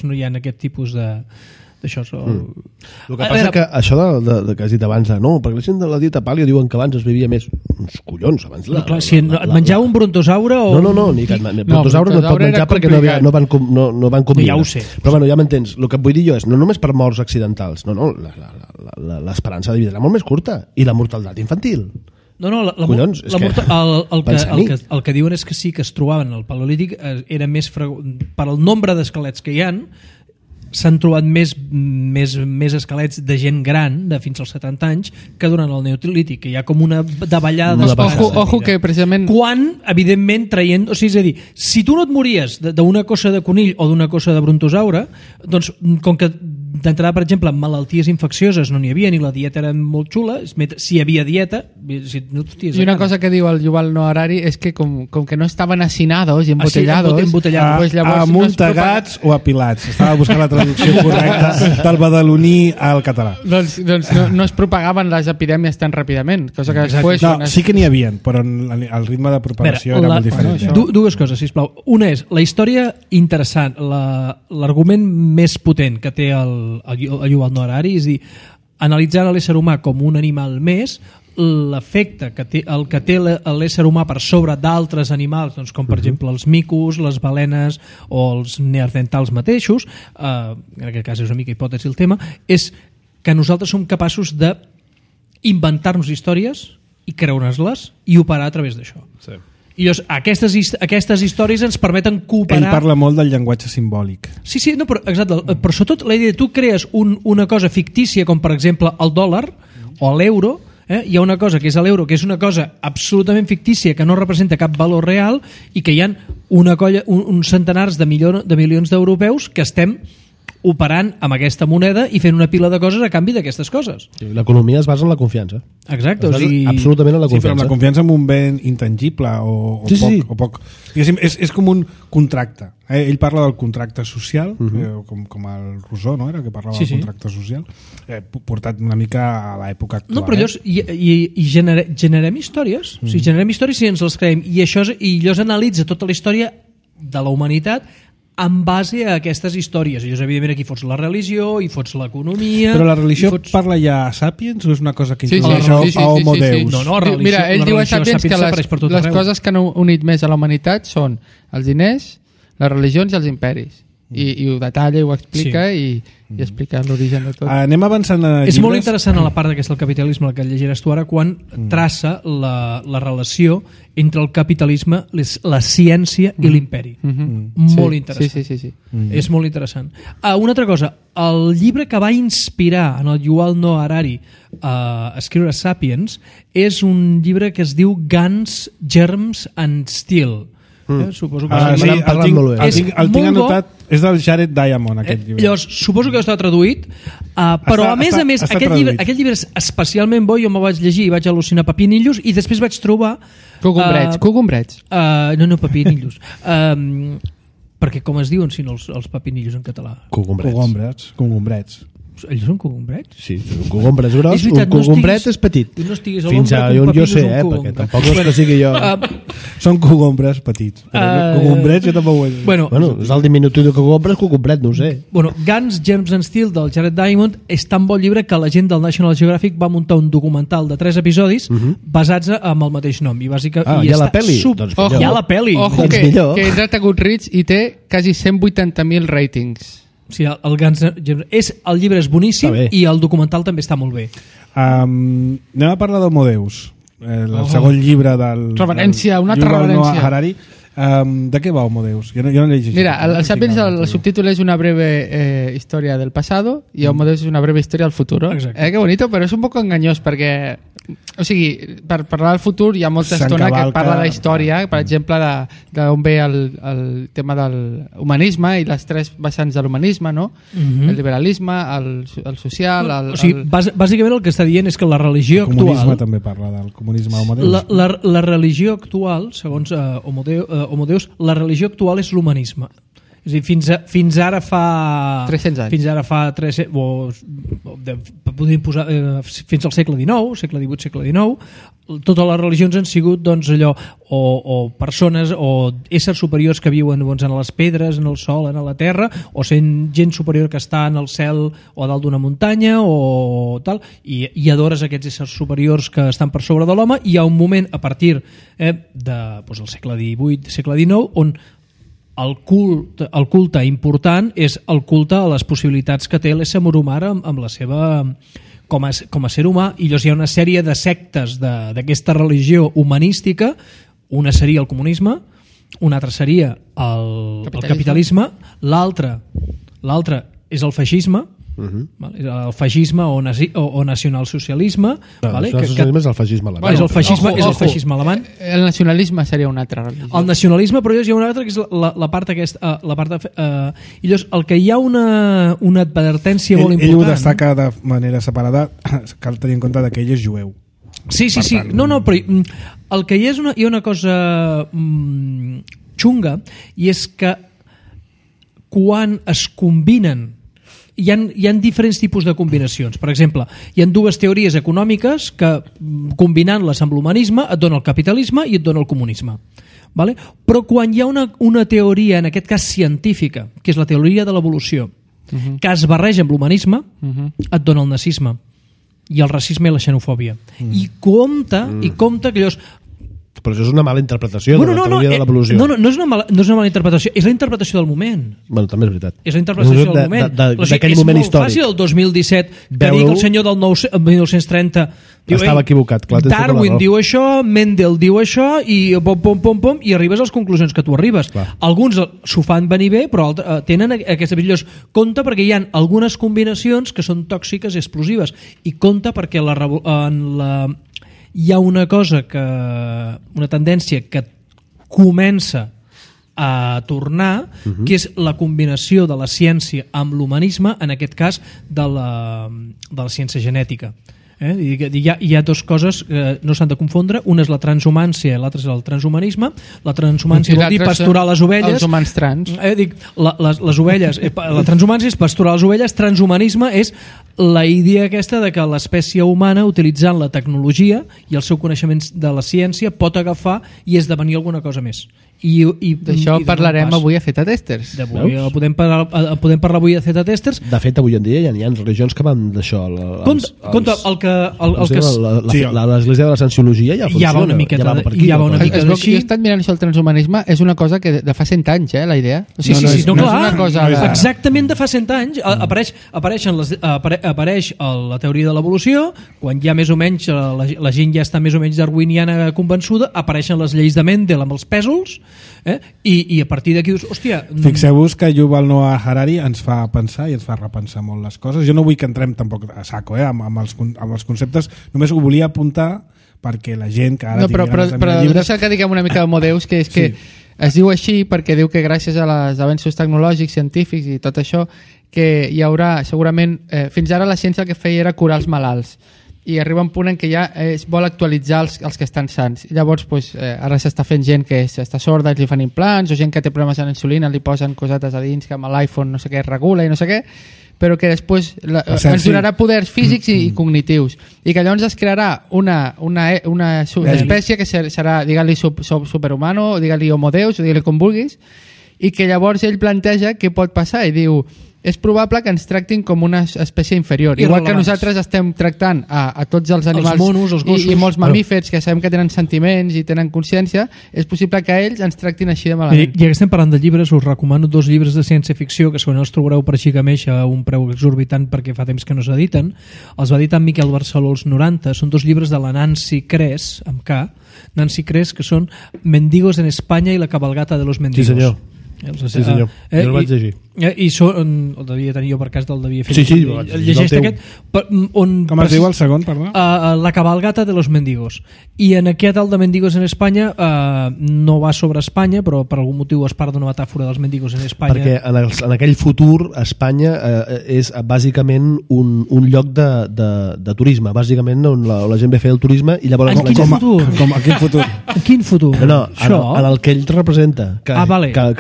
no hi ha aquest tipus d'això. El que passa que això que has dit abans, no, perquè la gent de la dieta pàlia diuen que abans es vivia més. Uns collons, abans si et menjava un brontosaure o... No, ni que brontosaure no et pot menjar perquè no van combinar. Ja ho sé. Però bueno, ja m'entens. El que vull dir jo és, no només per morts accidentals, l'esperança de vida era molt més curta i la mortalitat infantil. No, el que diuen és que sí que es trobaven al Paleolític era més per al nombre d'esquelets que hi ha, s'han trobat més esquelets de gent gran, de fins als 70 anys, que durant el Neolític, que hi ha com una davallada d'esperança. Ojo que precisament... Quan, evidentment, traient... O sigui, és a dir, si tu no et mories d'una cosa de conill o d'una cosa de brontosaure, doncs, com que d'entrada, per exemple, malalties infeccioses no n'hi havia, ni la dieta era molt xula, si hi havia dieta... I una cosa que diu el Yuval Noah Harari és que com que no estaven hacinados i embotellados... Amuntegats o apilats. Estava buscant la traducció correcta del badaloní al català. Doncs no es propagaven les epidèmies tan ràpidament, cosa que després... No, sí que n'hi havia, però el ritme de propagació era molt diferent. Dues coses, sisplau. Una és la història interessant, l'argument més potent que té el Yuval Noah Harari, és a dir, analitzant l'ésser humà com un animal més, l'efecte que té l'ésser humà per sobre d'altres animals, doncs, com per exemple els micos, les balenes o els neandertals mateixos, en aquest cas és una mica hipòtesi el tema, és que nosaltres som capaços d'inventar-nos històries i creure'ns-les i operar a través d'això. Sí. I llavors, aquestes històries ens permeten cooperar... Ell parla molt del llenguatge simbòlic. Sí, no, però, exacte, però sobretot la idea de tu crees una cosa fictícia com per exemple el dòlar o l'euro. Hi ha una cosa que és l'euro, que és una cosa absolutament fictícia, que no representa cap valor real i que hi ha uns centenars de milions d'europeus que estem operant amb aquesta moneda i fent una pila de coses a canvi d'aquestes coses. Sí, l'economia es basa en la confiança. Exacte. Absolutament en la confiança. Sí, però amb la confiança en un bé intangible o poc. És com un contracte. Ell parla del contracte social, com el Rousseau, no? Era que parlava del contracte social, portat una mica a l'època actual. No, però llavors generem històries. O sigui, generem històries i ens les creiem. I llavors analitza tota la història de la humanitat en base a aquestes històries. I evidentment aquí fots la religió i fots l'economia... Però la religió parla ja a Sapiens o és una cosa que introdueix a Homo Deus? No, religió, mira, ell diu a Sapiens que les coses que han unit més a la humanitat són els diners, les religions i els imperis. I ho detalla i ho explica i explica l'origen de tot. Anem avançant a llibres. És molt interessant a la part d'aquest capitalisme, la que llegiràs tu ara, quan traça la relació entre el capitalisme, la ciència i l'imperi. Molt interessant. Sí. És molt interessant. Una altra cosa, el llibre que va inspirar en el Yuval Noah Harari a escriure Sapiens és un llibre que es diu Guns, Germs and Steel. Suposo que el tinc anotat, és del Jared Diamond, aquest llibre. Llavors, suposo que està traduït, però a més, aquest llibre és especialment bo. Jo me'l vaig llegir i vaig al·lucinar pepinillos i després vaig trobar... Cogombrets. No, pepinillos. Perquè com es diuen si no els pepinillos en català? Cogombrets. Ells són cogombrets? Sí, un cogombret és gros, un cogombret és petit. Tu no estiguis a fins a on jo sé, perquè tampoc és que sigui jo... Són cogombres petits. Cogombrets jo tampoc ho he... Bueno, és el diminutiu de cogombres, cogombret, no ho sé. Bueno, Guns, Germs and Steel del Jared Diamond és tan bon llibre que la gent del National Geographic va muntar un documental de 3 episodis basats amb el mateix nom. I bàsicament hi ha la pel·li? Doncs hi ha la pel·li. Ojo, que he entrat a Goodreads i té quasi 180.000 ratings. Sí, el llibre és boníssim i el documental també està molt bé. Anem a parlar d'Homodeus, el segon llibre del... Reverència, una altra reverència. Harari. ¿De qué va Homodeus? Yo no leí. Mira, el Sapiens, el subtítulo es una breve historia del pasado y Homodeus es una breve historia del futuro. Qué bonito, però és un poc enganyós perquè, o sigui, per parlar del futur hi ha molta estona que parla de la història, per exemple, d'on ve el tema del humanisme i les 3 vessants de l'humanisme, no? El liberalisme, el social... O sigui, bàsicament el que està dient és que la religió actual... El comunisme també parla del comunisme Homodeus. La religió actual, segons Homodeus, la religió actual és l'humanisme. És a dir, fins ara fa 300 anys. Fins ara fa 300, podríem posar fins al segle XIX, segle XVIII, segle XIX, totes les religions han sigut doncs, allò, o persones o éssers superiors que viuen doncs, en les pedres, en el sol, en la terra, o sent gent superior que està en el cel o a dalt d'una muntanya o tal, i adores aquests éssers superiors que estan per sobre de l'home. I hi ha un moment a partir del segle XVIII, segle XIX, on el culte important és el culte a les possibilitats que té l'ésser humà amb la seva com a ser humà. I llavors hi ha una sèrie de sectes d'aquesta religió humanística. Una seria el comunisme, una altra seria el capitalisme, l'altra és el feixisme, el feixisme o nacionalsocialisme. El nacionalisme és el feixisme alemany. És el feixisme alemany. El nacionalisme seria una altra religió. El nacionalisme, però hi ha una altra que és la part aquesta. I llavors, el que hi ha una advertència molt important... Ell ho destaca de manera separada, cal tenir en compte que ell és jueu. Sí. No, però el que hi ha una cosa xunga, i és que quan es combinen hi ha diferents tipus de combinacions. Per exemple, hi ha 2 teories econòmiques que, combinant-les amb l'humanisme, et dona el capitalisme i et dona el comunisme. Vale? Però quan hi ha una teoria, en aquest cas científica, que és la teoria de l'evolució, que es barreja amb l'humanisme, et dona el nazisme i el racisme i la xenofòbia. I compta que llavors... Però això és una mala interpretació de la teoria de l'evolució. No és una mala interpretació, és la interpretació del moment. Bueno, també és veritat. És la interpretació del moment. D'aquell moment històric. És molt fàcil el 2017 que digui el senyor del 1930 estava equivocat. Clar, Darwin diu això, Mendel diu això i pom, i arribes a les conclusions que tu arribes. Clar. Alguns s'ho fan venir bé, però tenen aquestes millors. Compte perquè hi ha algunes combinacions que són tòxiques i explosives. I compte perquè hi ha una tendència que comença a tornar, que és la combinació de la ciència amb l'humanisme, en aquest cas de la ciència genètica. Hi ha 2 coses que no s'han de confondre. Una és la transhumància i l'altra és el transhumanisme. La transhumància vol dir pasturar les ovelles. Els humans trans. Les ovelles. La transhumància és pasturar les ovelles. Transhumanisme és la idea aquesta de que l'espècie humana, utilitzant la tecnologia i el seu coneixement de la ciència, pot agafar i esdevenir alguna cosa més. D'això parlarem avui a Zeta Testers. Podem parlar avui a Zeta Testers. De fet, avui en dia hi ha religions que van d'això. Compte, l'església de la cienciologia ja funciona. Ja va una miqueta Jo d'així. he estat mirant això, el transhumanisme és una cosa que de fa 100 anys, la idea. Sí, clar. Exactament de fa 100 anys. Apareix la teoria de l'evolució, quan ja més o menys la gent ja està més o menys darwiniana convençuda, apareixen les lleis de Mendel amb els pèsols, i a partir d'aquí dius, hòstia... Fixeu-vos que Yuval Noah Harari ens fa pensar i ens fa repensar molt les coses. Jo no vull que entrem tampoc a saco amb els conceptes, només ho volia apuntar perquè la gent que ara... Però deixa que diguem una mica d'Homodeus, que és que es diu així perquè diu que gràcies a les avenços tecnològics, científics i tot això, que hi haurà segurament... fins ara la ciència el que feia era curar els malalts, i arriba un punt en què ja es vol actualitzar els que estan sants. I llavors ara s'està fent gent que està sorda, li fan implants, o gent que té problemes amb insulina, li posen cosetes a dins que amb l'iPhone no sé què es regula i no sé què, però que després ens donarà poders físics i cognitius, i que llavors es crearà una espècie que serà, digue-li superhumano, digue-li homo deus, o digue-li com vulguis, i que llavors ell planteja què pot passar i diu, és probable que ens tractin com una espècie inferior, igual que nosaltres estem tractant a tots els animals, els monos, els gossos, i molts mamífers que sabem que tenen sentiments i tenen consciència, és possible que ells ens tractin així de malament. I que estem parlant de llibres, us recomano 2 llibres de ciència-ficció que segurament els trobareu per Xigameix a un preu exorbitant perquè fa temps que no s'editen. Els va editar en Miquel Barceló als 90, són 2 llibres de la Nancy Kress, amb K, Nancy Kress, que són Mendigos en Espanya i la cabalgata de los mendigos. Sí, senyor. Sí, senyor. Jo el vaig llegir. I el devia tenir jo per cas del devia fer. Sí, llegeix aquest com es diu el segon, perdó? La cabalgata de los mendigos. I en aquest el de Mendigos en Espanya no va sobre Espanya, però per algun motiu es parla d'una metàfora dels mendigos en Espanya. Perquè en aquell futur Espanya és bàsicament un lloc de turisme, bàsicament on la gent ve a fer el turisme i llavors... En quin futur? En quin futur? En quin futur? No, en el que ell representa, que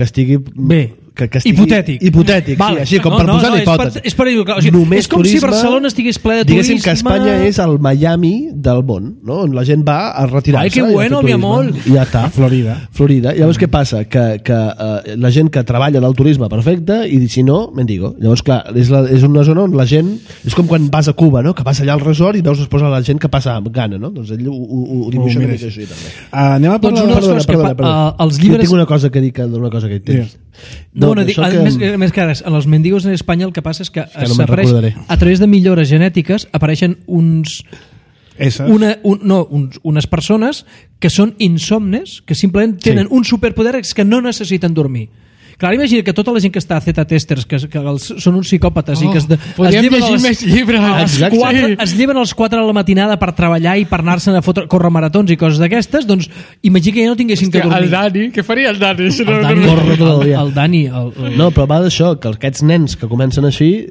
estigui... Bé. Que estigui hipotètic, vale. sí, així com per posar hipòtesi. És per dir-ho, o sigui, és com turisme, si Barcelona estigués ple de turisme. Diguéssim que Espanya és el Miami del món, no? On la gent va a retirar-se. Ai, que bueno, mi amor. I ja està. Florida. Llavors què passa? Que la gent que treballa del turisme perfecte i si no, mendigo. Llavors, clar, és una zona on la gent... És com quan vas a Cuba, no? Que vas allà al resort i veus després la gent que passa amb gana, no? Doncs ell ho dibuixa una mica així, també. Anem a parlar... Els llibres... Tinc una cosa que dir d'una cosa que hi tens. Més que res, en els mendigos en Espanya el que passa és que a través de millores genètiques apareixen unes persones que són insomnes, que simplement tenen un superpoder que no necessiten dormir. Clar, imagina que tota la gent que està a Z-testers, que són uns psicòpates i que podríem llegir més llibres. Es lleven als 4 de la matinada per treballar i per anar-se'n a córrer maratons i coses d'aquestes, doncs imagina que ja no tinguessin que dormir. El Dani, què faria el Dani? El Dani. No, però va d'això, que aquests nens que comencen així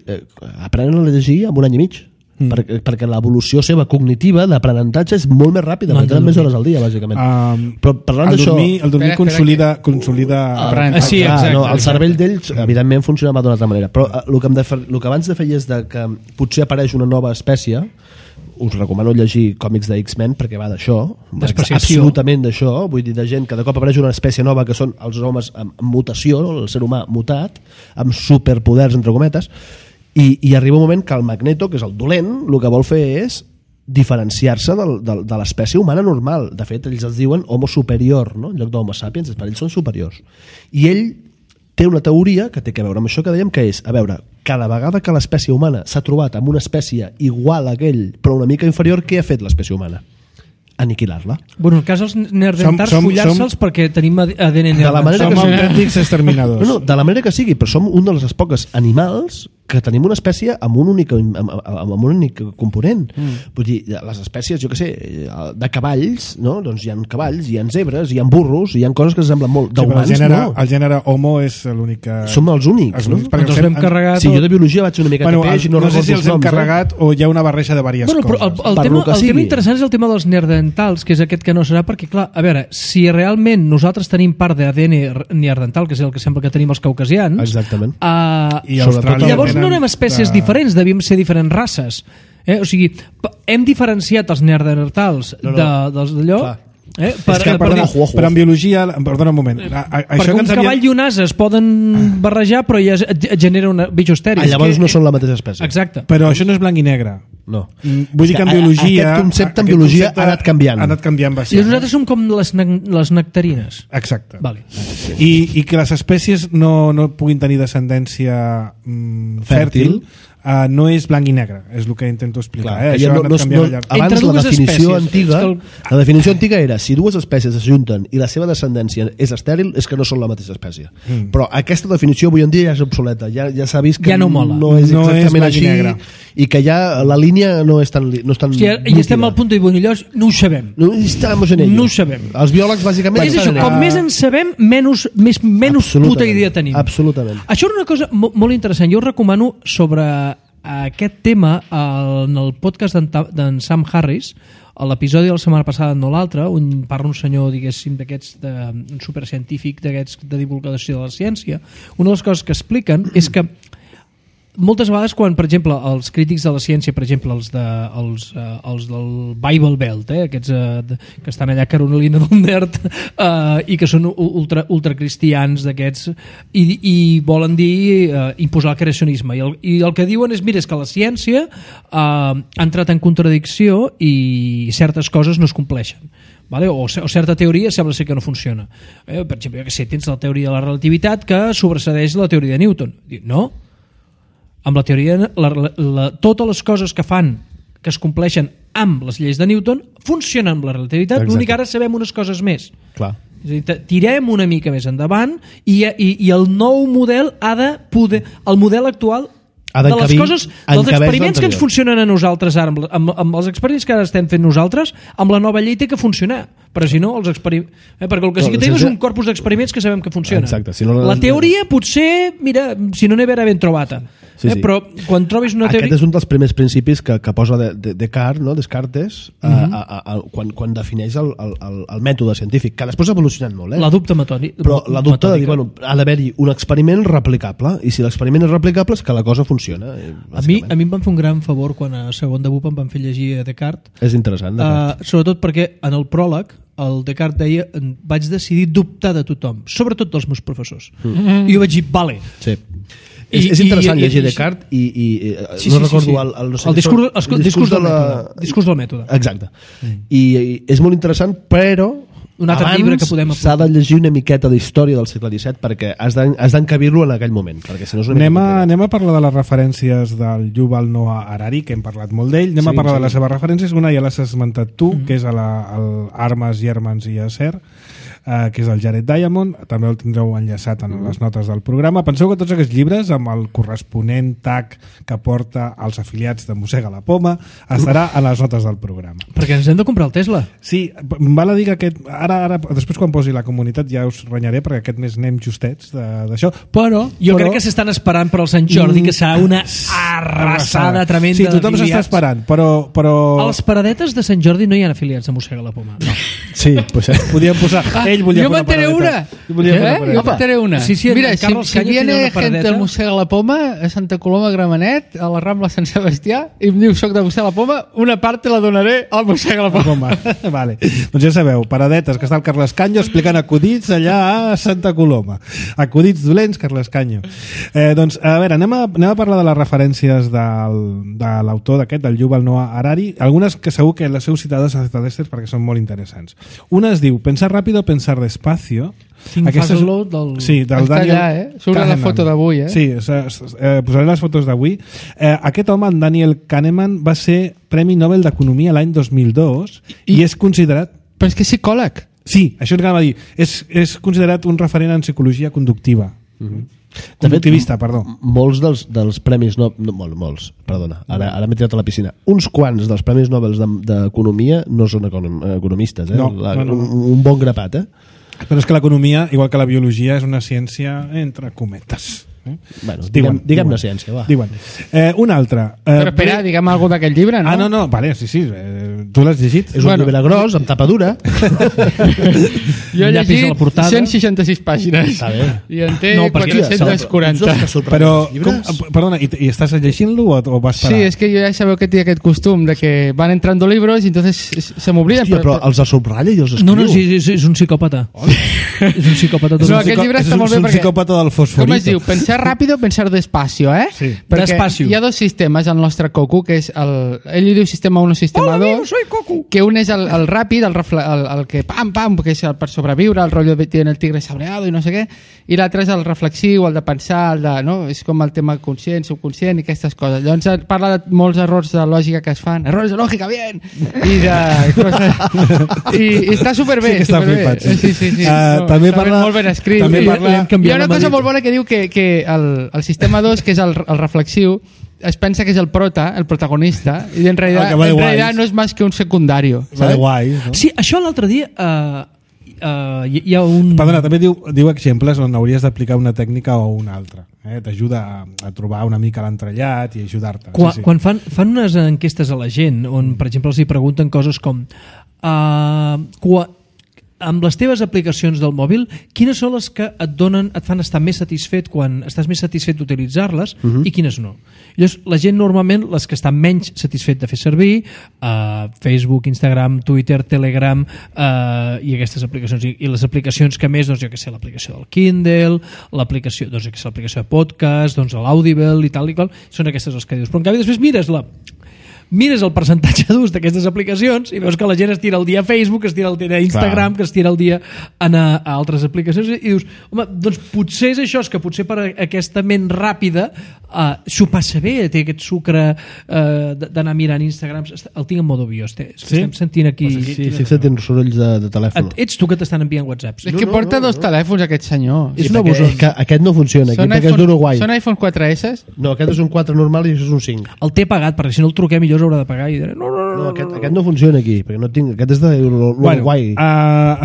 aprenen a llegir en un any i mig. Perquè l'evolució seva cognitiva d'aprenentatge és molt més ràpida, perquè tenen més hores al dia, bàsicament. Però parlant d'això... El dormir consolida... Sí, exacte. El cervell d'ells, evidentment, funcionava d'una altra manera. Però el que abans de fer és que potser apareix una nova espècie, us recomano llegir còmics de X-Men perquè va d'això, absolutament d'això, vull dir, de gent que de cop apareix una espècie nova que són els homes amb mutació, el ser humà mutat, amb superpoders, entre cometes, i arriba un moment que el Magneto, que és el dolent, el que vol fer és diferenciar-se de l'espècie humana normal. De fet, ells es diuen homo superior, no? En lloc d'homo sapiens, per ells són superiors. I ell té una teoria que té a veure amb això que dèiem, que és, a veure, cada vegada que l'espècie humana s'ha trobat amb una espècie igual a aquell, però una mica inferior, què ha fet l'espècie humana? Aniquilar-la. Bueno, en el cas dels neandertals, follar-se'ls perquè tenim ADN neandertal. Som autèntics exterminadors. No, de la manera que sigui, però som un dels pocs animals que tenim una espècie amb un únic component. Vull dir, les espècies, jo què sé, de cavalls, no? Doncs hi ha cavalls, hi ha zebres, hi ha burros, hi ha coses que semblen molt d'humans, no? El gènere Homo és l'únic que... Som els únics, no? Ens els hem carregat... Sí, jo de biologia vaig una mica peix i no sé si els hem carregat o hi ha una barreja de diverses coses. Però el tema interessant és el tema dels neandertals, que és aquest que no serà, perquè, clar, a veure, si realment nosaltres tenim part d'ADN neandertal, que és el que sembla que tenim els caucasians... Exactament. I Austràlia... no érem espècies diferents, devíem ser diferents races. O sigui, hem diferenciat els neandertals dels d'allò... Però en biologia... Perdona un moment. Perquè un cavall i un ase es poden barrejar, però ja genera un bicho estèril. Llavors no són la mateixa espècie. Exacte. Però això no és blanc i negre. No. Vull dir que en biologia... Aquest concepte en biologia ha anat canviant. Ha anat canviant bastant. I nosaltres som com les nectarines. Exacte. Vale. I que les espècies no puguin tenir descendència fèrtil no és blanc i negre, és el que intento explicar. Abans la definició antiga la definició antiga era si dues espècies es junten i la seva descendència és estèril, és que no són la mateixa espècie. Però aquesta definició avui en dia ja és obsoleta, ja s'ha vist que ja no és exactament així i que ja la línia no és tan i estem al punt de bonillós, no ho sabem. No ho sabem. Els biòlegs bàsicament és això, com més en sabem menys puta idea tenim. Absolutament. Això era una cosa molt interessant, jo us recomano sobre aquest tema en el podcast d'en Sam Harris, a l'episodi de la setmana passada, no l'altre, on parla un senyor, diguéssim, d'aquests un supercientífic d'aquests de divulgació de la ciència. Una de les coses que expliquen és que moltes vegades quan, per exemple, els crítics de la ciència, per exemple, els del Bible Belt, aquests que estan allà a Carolina del Nord i que són ultracristians d'aquests i volen dir imposar el creacionisme i el que diuen és, mira, és que la ciència ha entrat en contradicció i certes coses no es compleixen. Vale? O certa teoria sembla ser que no funciona. Per exemple, tens la teoria de la relativitat que sobresedeix la teoria de Newton. No. Amb la teoria, totes les coses que fan, que es compleixen amb les lleis de Newton, funcionen amb la relativitat. L'únic ara sabem unes coses més. Clar. És a dir, tirem una mica més endavant i el nou model ha de poder... El model actual de les coses, dels experiments que ens funcionen a nosaltres ara, amb els experiments que ara estem fent nosaltres, amb la nova llei té que funcionar, però si no els experiments, perquè el que sí que tenim és un corpus d'experiments que sabem que funciona. Exacte, si no, la teoria potser, mira, si no n'he ben trobata, però quan trobis una teoria... Aquest és un dels primers principis que posa Descartes, no? Descartes, quan defineix el mètode científic, que després ha evolucionat molt, la dubte metòdica. Però la dubte de dir, ha d'haver-hi un experiment replicable, i si l'experiment és replicable és que la cosa funciona. A mi em van fer un gran favor quan a segon de BUP em van fer llegir a Descartes. És interessant, Descartes. Sobretot perquè en el pròleg el Descartes deia, vaig decidir dubtar de tothom, sobretot dels meus professors. I jo vaig dir, vale. Sí. És interessant llegir Descartes i no recordo el discurs del mètode. Exacte. I és molt interessant, però un altre llibre que podem s'ha de llegir una miqueta d'història del segle XVII perquè has d'encabir-lo en aquell moment, perquè si no és una anem a parlar de les referències del Yuval Noah Harari, que hem parlat molt d'ell. Anem a parlar de les seves referències. Una ja l'has esmentat tu, que és Armes, Germans i Acer, que és el Jared Diamond. També el tindreu enllaçat en les notes del programa. Penseu que tots aquests llibres, amb el corresponent tag que porta als afiliats de Mossega la Poma, estarà a les notes del programa. Perquè ens hem de comprar el Tesla. Sí, val a dir que aquest... Ara, després quan posi la comunitat ja us renyaré, perquè aquest mes anem justets d'això, però... Jo crec que s'estan esperant per al Sant Jordi, que serà una arrasada tremenda. Sí, tothom s'està esperant, però... A les paradetes de Sant Jordi no hi ha afiliats de Mossega la Poma. No. Sí, pues podíem posar... Ell volia jo meteré una. Jo meteré una. Sí, mira, si viene gente al Mossega la Poma, a Santa Coloma Gramenet, a la Rambla Sant Sebastià, i em diu soc de Mossega la Poma, una part te la donaré al Mossega la Poma. Vale. Doncs ja sabeu, paradetes, que està el Carles Canyo explicant acudits allà a Santa Coloma. Acudits dolents, Carles Canyo. Doncs, a veure, anem a parlar de les referències de l'autor d'aquest, del Yuval Noah Harari, algunes que segur que les heu citades a Zestadestes perquè són molt interessants. Una es diu Pensar rápido, pensar despacio. Think fast slow del... Sí, del està Daniel allà, surt la foto d'avui, Sí, posaré les fotos d'avui. Aquest home, en Daniel Kahneman, va ser Premi Nobel d'Economia l'any 2002 i és considerat... Però és que és psicòleg. Sí, això ens anava a dir. És considerat un referent en psicologia conductiva. Conductivista, perdó. Molts dels premis molts, perdona, ara m'he tirat a la piscina. Uns quants dels premis Nobel d'Economia no són economistes, No. Un bon grapat, Però és que l'economia, igual que la biologia, és una ciència entre cometes. Bueno, diguem-ne ciència, va. Diuen. Un altre. Però espera, diguem alguna d'aquest llibre, no? No, vale, sí. Tu l'has llegit? És un llibre gros, amb tapa dura. Jo he llegit 166 pàgines. Està bé. I en té 440. Però, perdona, i estàs llegint-lo o vas parar? Sí, és que jo ja sabeu que té aquest costum de que van entrando libros i entonces se m'obliden. Hòstia, però els subratlla i els escriu. No, sí, és un psicòpata. És un psicòpata. No, aquest llibre està molt bé perquè... És un psicòpata del fosforito. Com es diu? Pensar rápido, pensar despacio, Sí. Perquè despacio. hi ha dos sistemes al nostre coco, que és ell li diu sistema 1 o sistema 2, que un és el ràpid, el que pam, que és per sobreviure, el rotllo de tiene el tigre sabreado i no sé què, i l'altre és el reflexiu, el de pensar, és com el tema conscient, subconscient i aquestes coses. Llavors parla de molts errors de lògica que es fan, errors de lògica, bien! I està superbé. Sí que està flipat, sí. Sí. També parla... molt ben escrit. Hi ha una cosa molt bona que diu que el sistema 2, que és el reflexiu, es pensa que és el protagonista, i en realitat no és més que un secundario. No? Sí, això l'altre dia hi ha un... Perdona, també diu exemples on hauries d'aplicar una tècnica o una altra. T'ajuda a trobar una mica l'entrellat i ajudar-te. Quan fan unes enquestes a la gent on, per exemple, els hi pregunten coses com amb les teves aplicacions del mòbil, quines són les que et fan estar més satisfet quan estàs més satisfet d'utilitzar-les i quines no? Llavors, la gent normalment, les que estan menys satisfet de fer servir, Facebook, Instagram, Twitter, Telegram i aquestes aplicacions, i les aplicacions que més, doncs jo que sé, l'aplicació del Kindle, l'aplicació de podcast, doncs l'Audible i tal i qual, són aquestes les que dius. Però en canvi després mires el percentatge d'ús d'aquestes aplicacions i veus que la gent es tira el dia a Facebook, es tira el dia a Instagram, que es tira el dia a altres aplicacions i dius, home, doncs potser és això, és que potser per aquesta ment ràpida s'ho passa bé, té aquest sucre d'anar mirant Instagram, el tinc en modo bio, estem sentint aquí... Sí, sentint sorolls de telèfon. Ets tu que t'estan enviant whatsapps. És que porta dos telèfons aquest senyor. És un abusós. Aquest no funciona, perquè és d'Uruguai. Són iPhone 4S? No, aquest és un 4 normal i això és un 5. El té pagat, perquè si no el truquem millor s'haurà de pagar i diré, no, aquest no funciona aquí, perquè no tinc, aquest és d'Uruguai.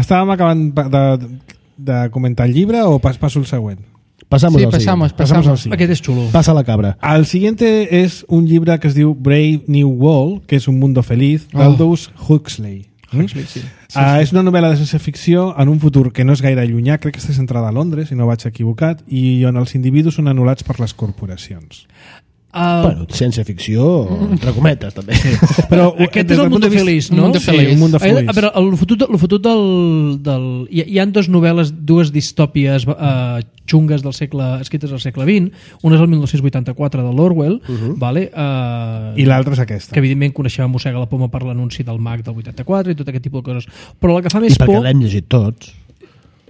Estàvem acabant de comentar el llibre o passo el següent? Pasamos. Aquest és xulo. Pasa la cabra. El siguiente és un llibre que es diu Brave New World, que és un mundo feliz, d'Aldous Huxley. És una novel·la de ciència ficció en un futur que no és gaire llunyà, crec que està centrada a Londres, si no vaig equivocat, i on els individus són anul·lats per les corporacions. Bueno, ciència-ficció, entre cometes, també. Però aquest és el mundo feliç, no? Sí, un mundo feliç. A veure, el fotut del... Hi ha dues novel·les, dues distòpies xungues escrites al segle XX. Una és el 1984 de l'Orwell, vale? I l'altra és aquesta. Que evidentment coneixem Mossega la Poma per l'anunci del Mac del 84 i tot aquest tipus de coses. Però la que fa més por... I perquè l'hem llegit tots.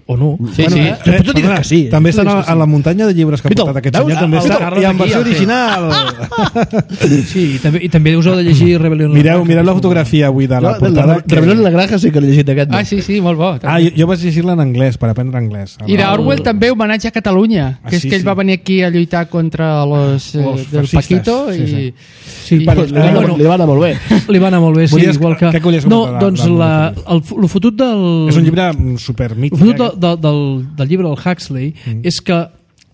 O no. Sí. Que sí. També estan a la muntanya de llibres que ha portat aquest senyor. També està, i en versió original. Sí, i també us heu de llegir Rebel·lion. Mireu la fotografia avui de la portada. Rebel·lion en la granja sí que l'he llegit aquest. Sí, molt bo. Jo vaig llegir-la en anglès, per aprendre anglès. I d'Orwell també homenatge a Catalunya, que és que ell va venir aquí a lluitar contra los del Paquito i... Sí, li va anar molt bé. Li va anar molt bé, sí, igual que... No, doncs el fotut del... És un llibre supermític. El fotut del llibre del Huxley és que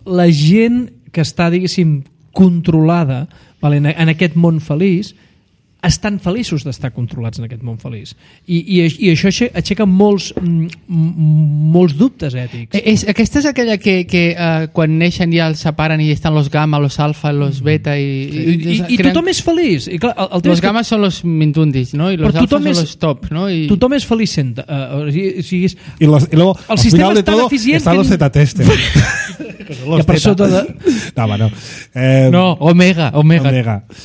la gent que està, diguéssim, controlada en aquest món feliç estan feliços d'estar controlats en aquest món feliç. I això aixeca molts dubtes ètics. Aquesta és aquella que quan neixen ja els separen i estan los gamma, los alfa, los beta i tothom és feliç. I clar, los gamma són los mindundis, no? I los alfa són los top, no? Tothom és feliç sent. Y luego, al sistema és tan eficient están los Z-tester. Que per sota de... No, Omega.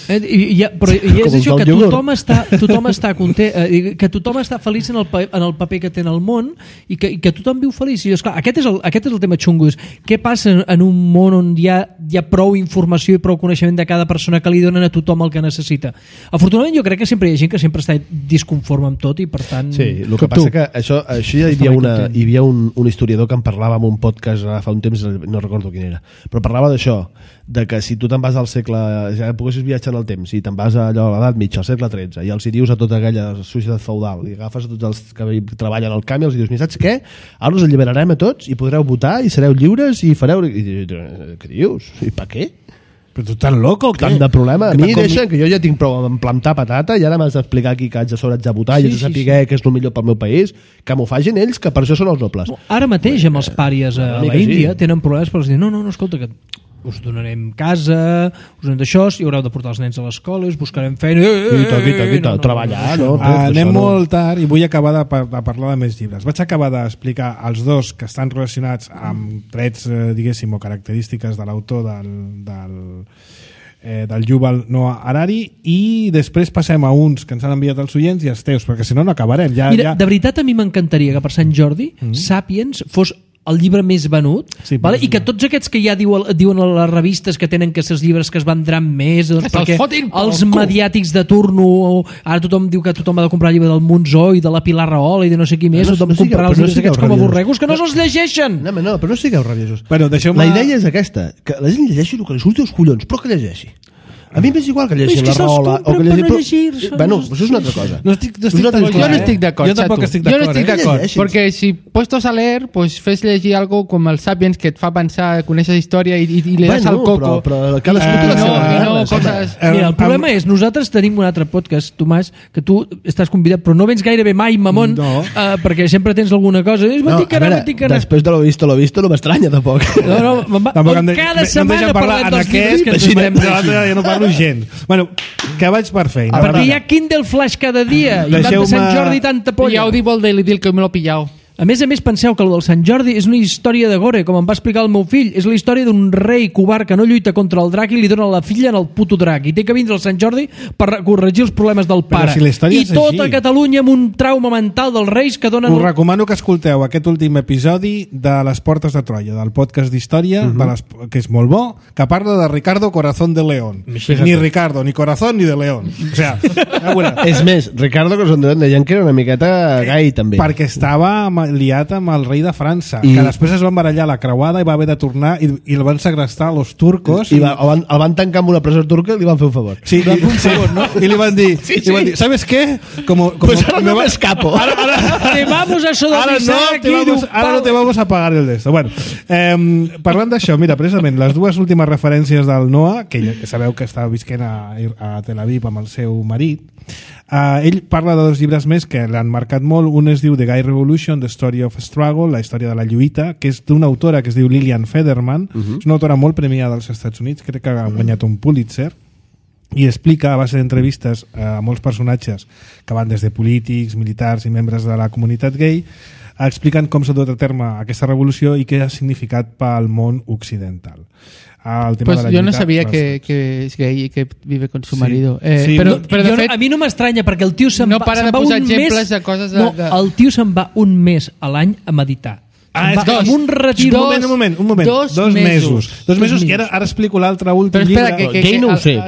Però és això, que tothom està content, que tothom està feliç en el paper que té en el món i que tothom viu feliç. I esclar, aquest és el tema xungo. Què passa en un món on hi ha prou informació i prou coneixement de cada persona que li donen a tothom el que necessita? Afortunadament jo crec que sempre hi ha gent que sempre està disconforme amb tot i per tant... Sí, el que passa que això hi havia un historiador que en parlava en un podcast fa un temps, no recordo quin era, però parlava d'això, de que si tu te'n vas al segle, ja poguessis viatjar en el temps, si te'n vas a l'edat mitja, al segle XIII, i els hi dius a tota aquella societat feudal, i agafes a tots els que treballen al camp i els hi dius, saps què? Ara us alliberarem a tots i podreu votar i sereu lliures i fareu... Què dius? I per què? Però tu tan loco, què? Tant de problema. A mi deixen que jo ja tinc prou en plantar patata i ara m'has d'explicar aquí que haig de sobre de votar i haig de saber què és el millor pel meu país, que m'ho facin ells, que per això són els nobles. Ara mateix amb els pàries a la Índia tenen problemes per dir, no, escolta, que us donarem casa, us donem d'això, i haureu de portar els nens a l'escola, us buscarem feina... treballar, no? Anem molt tard i vull acabar de parlar de més llibres. Vaig acabar d'explicar els dos que estan relacionats amb trets, diguéssim, o característiques de l'autor del Yuval Noah Harari, i després passem a uns que ens han enviat els oients i els teus, perquè si no acabarem. Mira, de veritat a mi m'encantaria que per Sant Jordi Sàpiens fos el llibre més venut, vale? I que tots aquests que ja diuen a les revistes que tenen que ser els llibres que es vendran més, doncs, perquè els mediàtics de turno, ara tothom diu que tothom ha de comprar el llibre del Monzó i de la Pilar Rahola i de no sé qui més, tothom comprarà els llibres aquests com a borregos que no se'ls llegeixen. No, però no sigueu rabiosos. La idea és aquesta, que la gent llegeixi el que li surti als collons, però que llegeixi. A mi m'és igual que llegir la rola o que llegir... Bueno, això és una altra cosa. Yo no estic d'acord. Jo tampoc estic d'acord. Jo no estic d'acord, perquè si puestos a leer, pues fes llegir algo com el Sapiens que et fa pensar, coneixes història i li das al coco. Però cadascú té la seva coses... Mira, el problema és, nosaltres tenim un altre podcast, Tomàs, que tu estàs convidat, però no vens gairebé mai, mamón, perquè sempre tens alguna cosa. Després de lo visto no m'estranya, tampoc. Cada setmana parlem dels llibres que ens esperem llegir. Jo no parlo gens. Bueno, que vaig per feina. Perquè hi ha Kindle Flash cada dia, i tant de Sant Jordi i tanta polla. I Audible Daily Deal, que me l'he pillat. A més, penseu que el del Sant Jordi és una història de gore, com em va explicar el meu fill. És la història d'un rei covard que no lluita contra el drac i li dona la filla en el puto drac. I té que vindre el Sant Jordi per corregir els problemes del pare. Si I tota Catalunya amb un trauma mental dels reis que donen... Us recomano que escolteu aquest últim episodi de Les Portes de Troia, del podcast d'història, que és molt bo, que parla de Ricardo Corazón de León. Ni Ricardo, ni Corazón, ni de León. O sigui, és més, Ricardo Corazón de León deien que era una miqueta gai, també. Perquè estava liat amb el rei de França, que després es van barallar la creuada i va haver de tornar i el van segrestar los turcos el van tancar en una presó turca i li van fer un favor. Sí, i li van dir, ¿sabes qué? Pues ahora no me escapo. Te vamos a sodomizar aquí. Ara no te vamos a pagar el d'esto. Bueno, parlant d'això, mira, precisament les dues últimes referències del Noah, que sabeu que està visquent a Tel Aviv amb el seu marit, ell parla de dos llibres més que l'han marcat molt. Un es diu The Gay Revolution, The Story of Struggle, la història de la lluita, que és d'una autora que es diu Lillian Federman. És una autora molt premiada als Estats Units, crec que ha guanyat un Pulitzer, i explica a base d'entrevistes a molts personatges que van des de polítics, militars i membres de la comunitat gay, explicant com s'ha dut a terme aquesta revolució i què ha significat pel món occidental. Pues yo no sabía que es gay y que vive con su marido. Pero de fet, a mi no m'estranya perquè el tio se'n no para de posar exemples de coses el tio se'n va un mes a l'any a meditar. Un retir. Un moment. 2 mesos. 2 mesos i ara explico l'altre últim llibre. Gay no ho sé,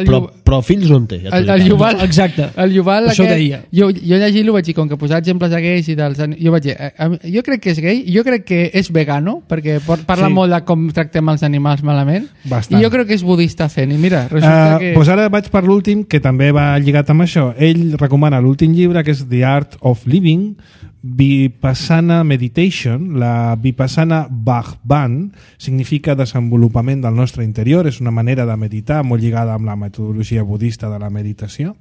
però fills no en té. El Yuval, exacte. El Yuval, això deia. Jo llegint-lo vaig dir, com que posar exemples de gais i dels... Jo vaig dir, jo crec que és gay, jo crec que és vegano, perquè parla molt de com tractem els animals malament, i jo crec que és budista fent, i mira, resulta que... Doncs ara vaig per l'últim, que també va lligat amb això. Ell recomana l'últim llibre, que és The Art of Living, Vipassana Meditation. La Vipassana Bhagwan significa desenvolupament del nostre interior, és una manera de meditar molt lligada amb la metodologia budista de la meditació,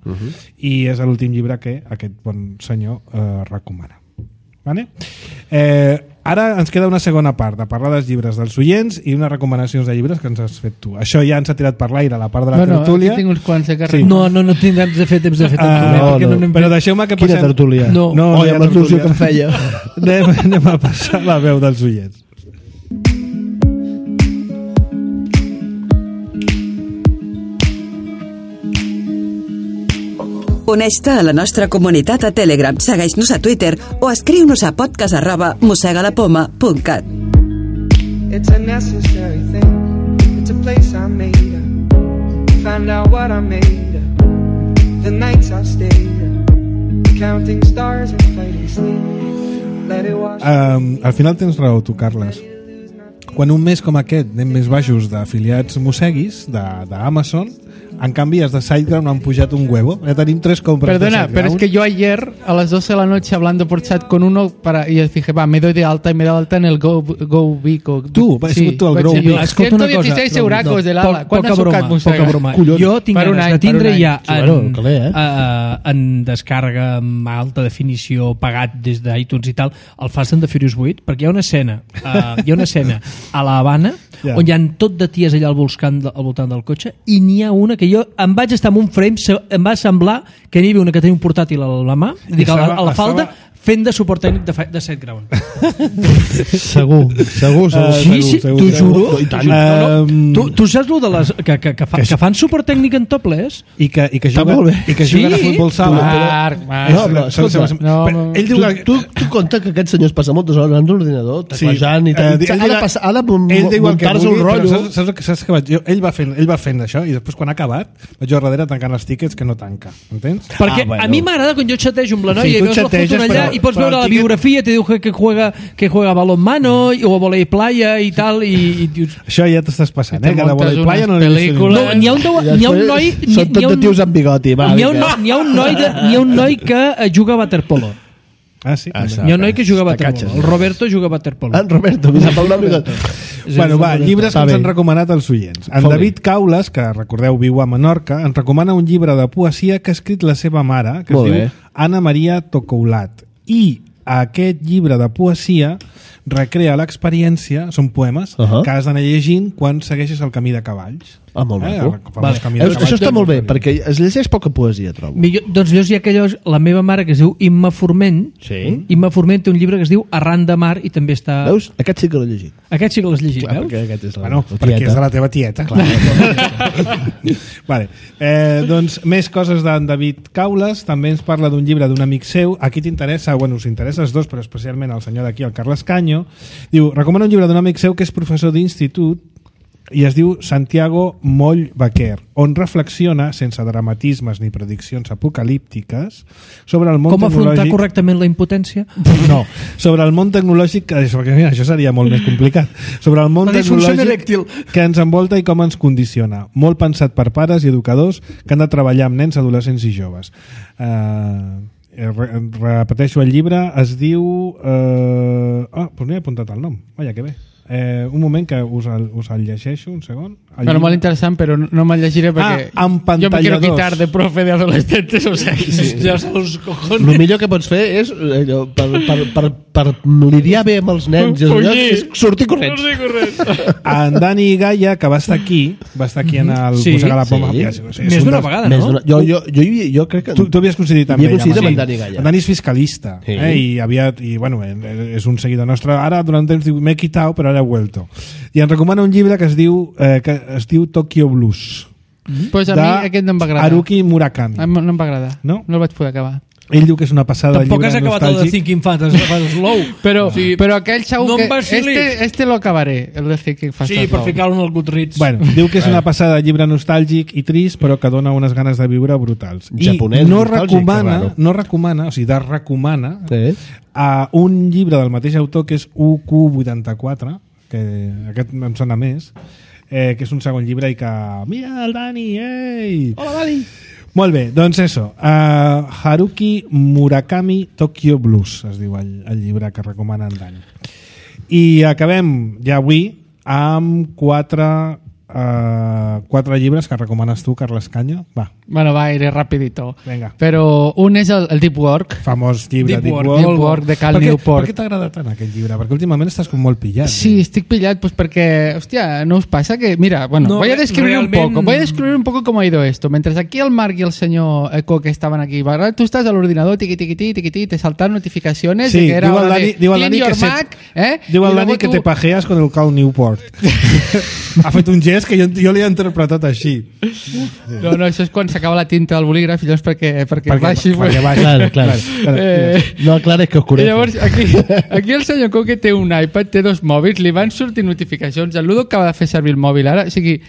i és l'últim llibre que aquest bon senyor recomana. Vale? Ara ens queda una segona part de parlar dels llibres dels oients i unes recomanacions de llibres que ens has fet tu. Això ja ens ha tirat per l'aire la part de la tertúlia. Tinc uns quants que no tindrem temps de fer tertúlia. Però deixeu-me que passem... Quina tertúlia? No, amb la solució que em feia. Anem a passar la veu dels oients. Uneix-te a la nostra comunitat a Telegram, segueix-nos a Twitter o escriu-nos a podcast@mosegalapoma.cat. It's a necessary thing. It's a place I made up. Find out what I made up. The nights I stayed up. Counting stars and fighting sleep. Let it wash. Al final tens raó tu, Carles. Quan un mes com aquest anem més baixos d'afiliats mosseguis d'Amazon, en canvi els de SiteGround han pujat un huevo. Ya tenim 3 compras. Perdona, pero es que yo ayer a las 12 de la noche hablando por chat con uno y dije, me doy de alta y me he dado alta en el Go Big. Tu al Grow Big. Escolta una cosa. 116 euracos de l'ala. Poca broma. Jo tinc ganes de tindre ja en descarga amb alta definició pagat des d'iTunes i tal el Fast and the Furious 8, perquè hi ha una escena a la Habana on hi ha tot de ties allà al voltant del cotxe i n'hi ha una que jo em vaig estar en un frame, em va semblar que n'hi havia una que tenia un portàtil a la mà, a la falda, fent de suport tècnic de SiteGround. Segur. Sí, t'ho juro. Tu saps el de les que fan suport tècnic en topless i que juguen a futbol sala. Ell diu que tu compta que aquest senyor es passa moltes hores en l'ordinador teclejant i ha de muntar-se un rotllo. Saps què? Ell va fent això i després quan ha acabat vaig jo darrere tancant els tickets que no tanca, entens? Perquè a mi m'agrada quan jo xatejo amb la noia i veus la foto allà i pots veure la biografia, te diu que juega balonmano o volei playa i tal, i dius... Això ja t'estàs passant, que de volei playa no l'he vist. No, n'hi ha un noi... Són tot de tios amb bigoti. N'hi ha un noi que juga a waterpolo. Ah, sí? Hi ha un noi que juga a waterpolo. El Roberto juga a waterpolo. En Roberto, mi sap el nom. Bueno, va, llibres que ens han recomanat els oients. En David Caules, que recordeu viu a Menorca, ens recomana un llibre de poesia que ha escrit la seva mare, que es diu Anna Maria Tocoulat. I aquest llibre de poesia recrea l'experiència, són poemes, que has d'anar llegint quan segueixes el camí de cavalls. Ah, molt maco. Això està molt bé, perquè es llegeix poca poesia, trobo. Doncs llavors hi ha aquells... La meva mare, que es diu Imma Forment, Imma Forment té un llibre que es diu Arran de mar i també està... Veus? Aquest sí que l'he llegit. Aquest sí que l'has llegit, veus? Perquè és de la teva tieta, clar. Vale. Doncs més coses d'en David Caules. També ens parla d'un llibre d'un amic seu. Aquí t'interessa, bueno, us interessa els dos, però especialment el senyor d'aquí, el Carles Canyo. Diu, recomana un llibre d'un amic seu que és professor d'institut i es diu Santiago Moll Baquer, on reflexiona, sense dramatismes ni prediccions apocalíptiques, sobre el món com tecnològic... afrontar correctament la impotència? No, sobre el món tecnològic, perquè mira, això seria molt més complicat, sobre el món tecnològic que ens envolta i com ens condiciona. Molt pensat per pares i educadors que han de treballar amb nens, adolescents i joves. Repeteixo, el llibre es diu... doncs no he apuntat el nom. Vaja, que bé. Un moment que us el llegeixo, un segon. Bueno, molt interessant, però no me'l llegiré perquè jo me quiero quitar de profe de adolescentes, o sea, ja són els cojones. El millor que pots fer és per lidiar bé amb els nens és sortir corrents. En Dani Gaia, que va estar aquí en el Mossega la Poma, més d'una vegada, no? Jo crec que... Tu havies coincidit amb ell. Amb Dani Gaia. En Dani és fiscalista i bueno, és un seguidor nostre. Ara durant temps diu, m'he quitat, però ara he vuelto. I ens recomana un llibre que es diu Tokyo Blues. Pues a mi aquest no em va agradar. Haruki Murakami. No em va agradar. No el vaig poder acabar. Ell diu que és una passada de llibre nostàlgic. Tampoc has acabat el de Thinking Fast Slow. Però aquell segur que lo acabaré, el de Thinking Fast Slow. Sí, per ficar-lo en el Goodreads. Bueno, diu que és una passada de llibre nostàlgic i trist, però que dona unes ganes de viure brutals. Japonès, I no recomana a un llibre del mateix autor que és UQ84, que aquest em sona més, que és un segon llibre i que... Mira el Dani, ei! Hola, Dani! Molt bé, doncs això. Haruki Murakami Tokyo Blues es diu el llibre que recomana en Dani. I acabem ja avui amb quatre llibres que recomanes tu, Carles Canyo. Va. Bueno, va, iré rapidito. Venga. Però un és el Deep Work. Famós llibre, Deep Work de Cal Newport. Per què t'agrada tant aquest llibre? Perquè últimament estàs com molt pillat. Sí, estic pillat pues perquè, hòstia, ¿no os pasa que, mira, bueno, voy a describir un poco cómo ha ido esto. Mientras aquí el Marc y el señor Eco que estaban aquí, ¿verdad? Tú estás al ordenador, tiqui, te saltan notificaciones sí, de que era hora de clean your Mac, diu el Dani que te pajeas con el Cal Newport. Ha fet un gest que jo li he interpretat així. No, això és quan s'acaba la tinta del bolígraf i llavors perquè baixi. Perquè baixi, clar. No, clar, és que oscurece. Llavors, aquí el senyor Coque té un iPad, té dos mòbils, li van sortir notificacions. El Ludo acaba de fer servir el mòbil ara, o sigui...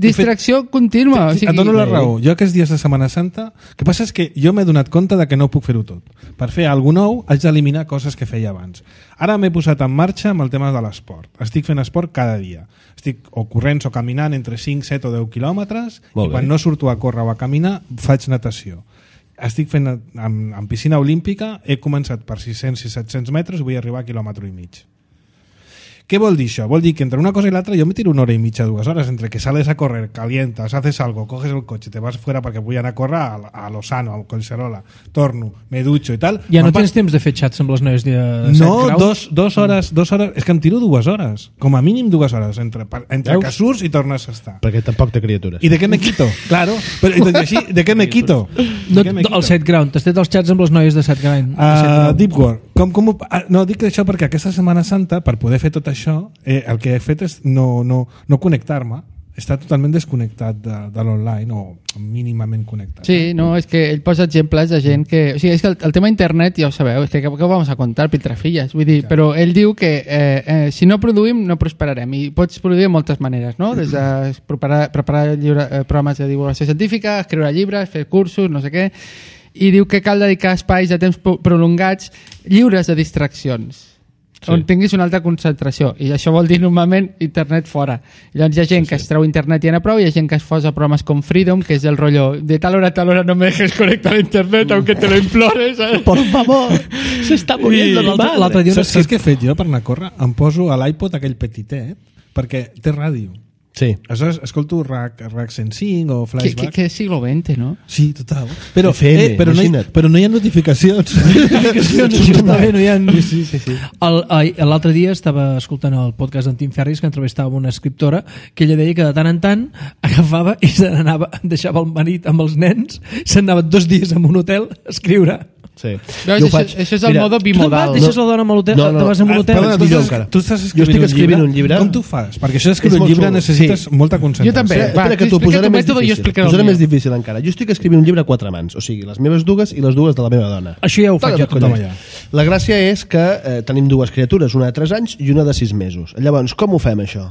distracció contínua. O sigui, et dono la raó. Jo aquests dies de Setmana Santa, el que passa és que jo m'he donat compte de que no puc fer-ho tot. Per fer alguna nou haig d'eliminar coses que feia abans. Ara m'he posat en marxa amb el tema de l'esport. Estic fent esport cada dia. Estic o corrents o caminant entre 5, 7 o 10 quilòmetres i quan no surto a córrer o a caminar faig natació. Estic fent en piscina olímpica, he començat per 600 i 700 metres i vull arribar a 1,5 quilòmetres. ¿Qué vol dir això? Vol dir que entre una cosa y la otra yo me tiro 1 hora y media, 2 horas, entre que sales a correr, calientas, haces algo, coges el coche, te vas fuera perquè vull anar a córrer a Lozano, a Collserola, torno, me ducho i tal. Ja no tens temps de fer xats amb les noies de 7 graus? No, 2 hores, és que em tiro 2 hores, com a mínim 2 hores, entre que surts i tornes a estar. Perquè tampoc té criatures. I de què me quito? Claro, però així, de què me quito? El 7 ground, t'has fet els xats amb les noies de 7 ground. Deep Work. No, dic això perquè aquesta Setmana Santa, per poder fer tot això, el que he fet és no connectar-me, està totalment desconnectat de l'online o mínimament connectat. Sí, no, és que ell posa exemples de gent que... O sigui, és que el tema internet, ja ho sabeu, és que què vamos a contar, piltrafilles, vull dir, però ell diu que si no produïm no prosperarem i pots produir de moltes maneres, no? Des de preparar programes de divulgació científica, escriure llibres, fer cursos, no sé què. i diu que cal dedicar espais de temps prolongats lliures de distraccions, on tinguis una alta concentració, i això vol dir normalment internet fora. Llavors hi ha gent que es treu internet i anar prou, i hi ha gent que es posa programes com Freedom, que és el rotllo de tal hora a tal hora no me dejes conectar a internet aunque te lo implores, por favor, s'està muriendo mi madre. L'altre dia saps què he fet jo per anar a córrer? Em poso a l'iPod aquell petitet perquè té ràdio. Sí. Aleshores escolto RAC 105 o Flashback. Que siglo XX, no? Sí, total. Però, FM, però no hi ha notificacions. No hi ha... Sí. L'altre dia estava escoltant el podcast d'en Tim Ferris, que entrevistava una escriptora, que ella deia que de tant en tant agafava i se n'anava, deixava el marit amb els nens, se'n anava 2 dies a un hotel a escriure. Sí. Veus, això és el modo bimodal. Tu deixes la dona amb l'hotel? No. Te vas amb un hotel? Tu estàs escrivint un llibre. Com tu fas? Perquè això d'escriure un llibre necessites molta concentració. Jo també. Espera, que t'ho posaré més difícil encara. Jo estic escrivint un llibre a 4 mans, o sigui, les meves dues i les dues de la meva dona. Això ja ho faig jo tothom allà. La gràcia és que tenim 2 criatures, una de 3 anys i una de 6 mesos. Llavors, com ho fem, això?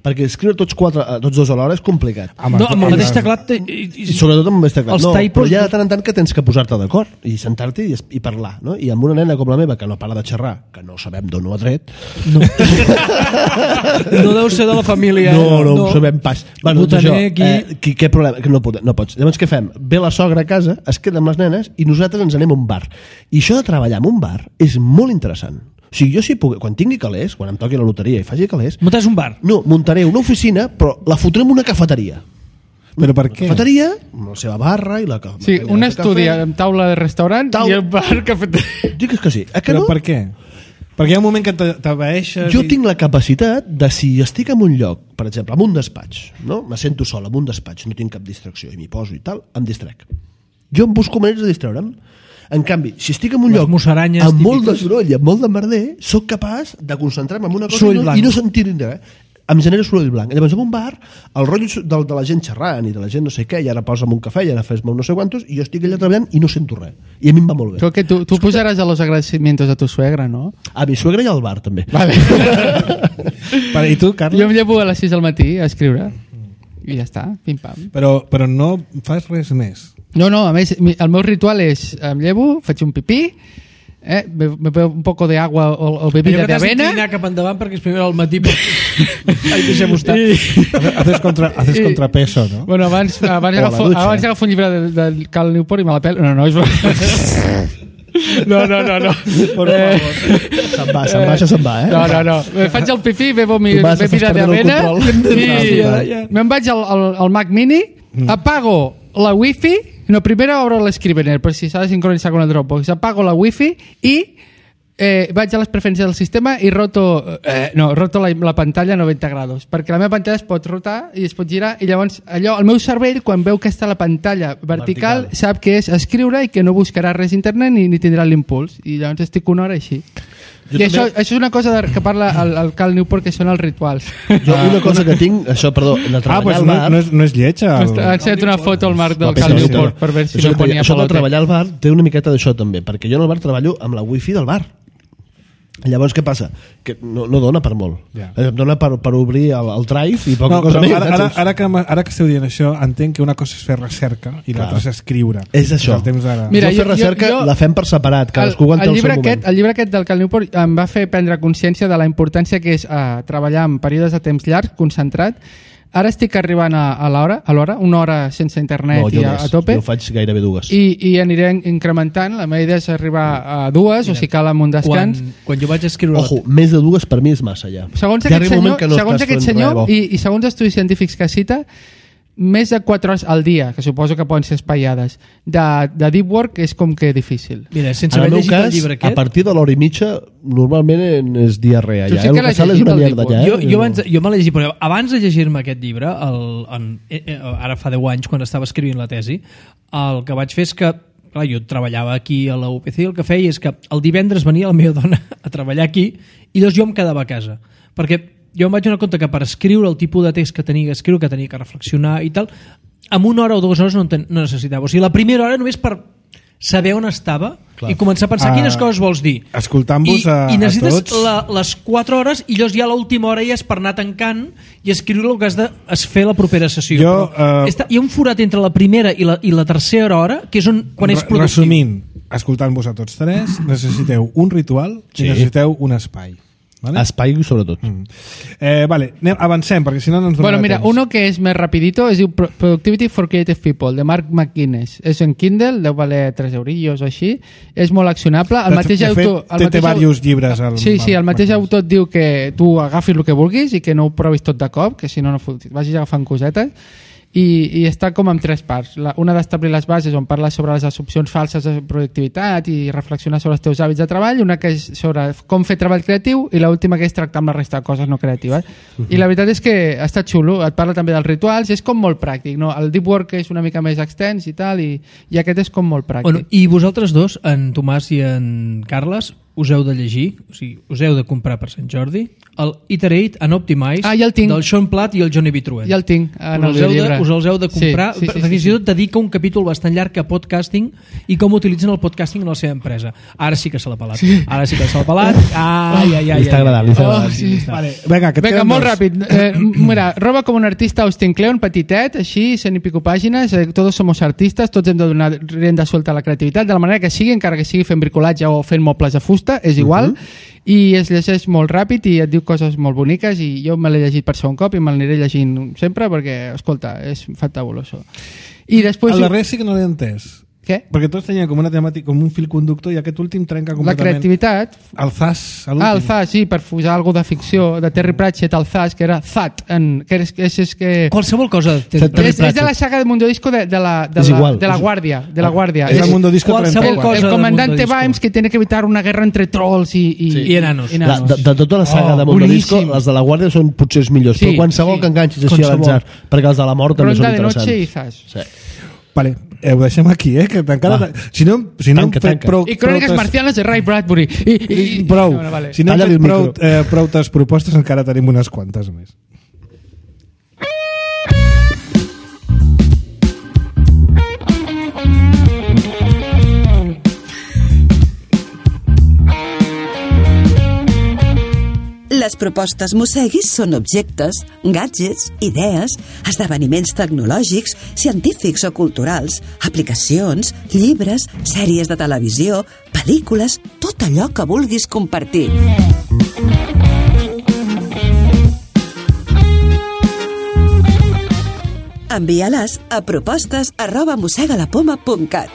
Perquè escriure tots 2 alhora és complicat. No, amb el mateix teclat... Sobretot amb el mateix teclat. No, però hi ha de tant en tant que tens que posar-te d'acord i sentar-te i parlar, no? I amb una nena com la meva que no para de xerrar, que no sabem d'on ho ha tret, no deu ser de la família. No ho sabem pas. Bueno, això, què problema? Que no pots. Llavors què fem? Ve la sogra a casa, es queda amb les nenes i nosaltres ens anem a un bar. I això de treballar en un bar és molt interessant. O sigui, jo si puc, quan tingui calés, quan em toqui la loteria i faci calés... Muntaràs un bar? No, muntaré una oficina, però la fotré en una cafeteria. Però per què? Cafeteria, amb la seva barra i la... Sí, un estudi amb taula de restaurant i el bar cafeteria. Digues que sí. Però per què? Perquè hi ha un moment que t'abaeixes... Jo tinc la capacitat de, si estic en un lloc, per exemple, en un despatx, no? Me sento sol en un despatx, no tinc cap distracció, i m'hi poso i tal, em distrec. Jo em busco maneres de distreure'm. En canvi, si estic en un lloc amb molt de soroll i amb molt de merder, sóc capaç de concentrar-me en una cosa i no sentir res. Em genera soroll blanc. Llavors, en un bar, el rotllo de la gent xerrant i de la gent no sé què, i ara posa'm un cafè, i ara fes-me no sé quantos, i jo estic allà treballant i no sento res. I a mi em va molt bé. Creo que tu posaràs a los agradecimientos a tu suegra, ¿no? A mi suegra i al bar, també. Vale. I tu, Carles? Jo em llevo a les 6 del matí a escriure. I ja està, pim-pam. Però no fas res més. No, a més, el meu ritual és em llevo, faig un pipí, me bebo un poco de agua o bebida de avena. Allò que t'has d'inclinar cap endavant perquè és primer al matí. Ai, deixem-ho estar. Haces contrapeso, no? Bueno, abans agafo un llibre del Cal Newport i me la pelo. No, és No. Por favor. Se'n va, No. Faig el pipí, bebo mi bebida de avena i me'n vaig al Mac Mini, apago la wifi. No, primero abro l'Scrivener, per si s'ha de sincronitzar con el Dropbox. Apago la wifi i vaig a les preferències del sistema i roto la pantalla a 90 graus, perquè la meva pantalla es pot rotar i es pot girar, i llavors allò, el meu cervell, quan veu que està la pantalla vertical, sap que és escriure i que no buscarà res a internet ni tindrà l'impuls, i llavors estic una hora així. I això és una cosa que parla el Cal Newport, que són els rituals. Jo una cosa que tinc, de treballar al bar... No és lletja. Ha ensenyat una foto al Marc del Cal Newport per veure si no ponia això de treballar al bar té una miqueta d'això també, perquè jo en el bar treballo amb la wifi del bar. Llavors què passa? Que no dona per molt. Em dona per obrir el drive i poca cosa més. Ara que esteu dient això, entenc que una cosa és fer recerca i l'altra és escriure. És això. Mira, fer recerca la fem per separat, cadascú aguanta el seu moment. El llibre aquest del Cal Newport em va fer prendre consciència de la importància que és treballar en períodes de temps llarg, concentrat. Ara estic arribant a l'hora, una hora sense internet i a tope. Jo faig gairebé 2. I aniré incrementant. La meva idea és arribar a 2, o si cal amb un descans. Quan jo vaig escriure... Ojo, més de 2 per mi és massa ja. Segons aquest senyor i segons estudis científics que cita, més de 4 hores al dia, que suposo que poden ser espaiades, de deep work és com que difícil. Mira, sense haver llegit el llibre aquest... A partir de l'hora i mitja, normalment és diarrea. Tu sí que l'has llegit el deep work. Jo me l'he llegit, però abans de llegir-me aquest llibre, ara fa 10 anys, quan estava escrivint la tesi, el que vaig fer és que clar, jo treballava aquí a la UPC i el que feia és que el divendres venia la meva dona a treballar aquí i llavors jo em quedava a casa. Perquè jo em vaig donar compte que per escriure el tipus de text que tenia que escriure, que tenia que reflexionar i tal, amb 1 hora o 2 hores no necessitava. O sigui, la primera hora només per saber on estava i començar a pensar quines coses vols dir. Escoltant-vos I necessites a tots... les 4 hores i llavors ja l'última hora ja és per anar tancant i escriure el que has de fer la propera sessió. Hi ha un forat entre la primera i la tercera hora que és quan és productiu. Resumint, escoltant-vos a tots tres, necessiteu un ritual i necessiteu un espai. ¿Vale? Espai sobretot. Vale, avancem perquè si no ens donarà mira, temps. uno que és més rapidito es diu Productivity for Creative People de Mark McGuinness, és en Kindle, deu valer 3 eurillos o així, és molt accionable. El mateix autor té diversos llibres sí, el mateix autor et diu que tu agafis el que vulguis i que no ho provis tot de cop, que si no vagis agafant cosetes. I està com en 3 parts. Una d'establir les bases, on parla sobre les assumpcions falses de productivitat i reflexionar sobre els teus hàbits de treball, una que és sobre com fer treball creatiu i l'última que és tractar amb la resta de coses no creatives. I la veritat és que està xulo, et parla també dels rituals, és com molt pràctic, no? El deep work és una mica més extens i tal, i aquest és com molt pràctic. I vosaltres dos, en Tomàs i en Carles, us heu de llegir, o sigui, us heu de comprar per Sant Jordi el Iterate and Optimize del Sean Platt i el Johnny B. Truett. Ja el tinc en el llibre. Us els heu de comprar, fins i tot dedica un capítol bastant llarg a podcasting i com utilitzen el podcasting en la seva empresa. Ara sí que se l'ha pelat. Ara sí que se l'ha pelat. Li està agradant. Vale, vinga, molt ràpid. Mira, roba com un artista Austin Kleon, petitet, així, 100 y pico pàgines, todos somos artistas, tots hem de donar rienda suelta a la creativitat, de la manera que sigui, encara que sigui fent bricolatge o fent mobles de fusta, és igual, i es llegeix molt ràpid i et diu coses molt boniques, i jo me l'he llegit per segon cop i me l'aniré llegint sempre perquè, escolta, és fantabuloso. I després... El darrer sí que no l'he entès. Què? Perquè tots tenien com una temàtica, com un fil conductor, i aquest últim trenca completament. La creativitat. El Zas, l'últim. El Zas, sí, per posar alguna de ficció, de Terry Pratchett, el Zas, que era Zat, que és que... Qualsevol cosa de Terry Pratchett. És de la saga de Mundo Disco de la Guàrdia. És el Mundo Disco 34. El comandante Vimes que tiene que evitar una guerra entre trolls i enanos. De tota la saga de Mundo Disco, les de la Guàrdia són potser els millors, però qualsevol que enganxis així a l'atzar, perquè els de la mort també són interessants. Ronda de noche i Zas. Vale, ho deixem aquí, que encara... Si no hem fet prou... I Cròniques Marcianes de Ray Bradbury. Prou. Si no hem fet prou propostes, encara tenim unes quantes més. Les propostes Mosseguis són objectes, gadgets, idees, esdeveniments tecnològics, científics o culturals, aplicacions, llibres, sèries de televisió, pel·lícules, tot allò que vulguis compartir. Envia-les a propostes@mossegalapoma.cat.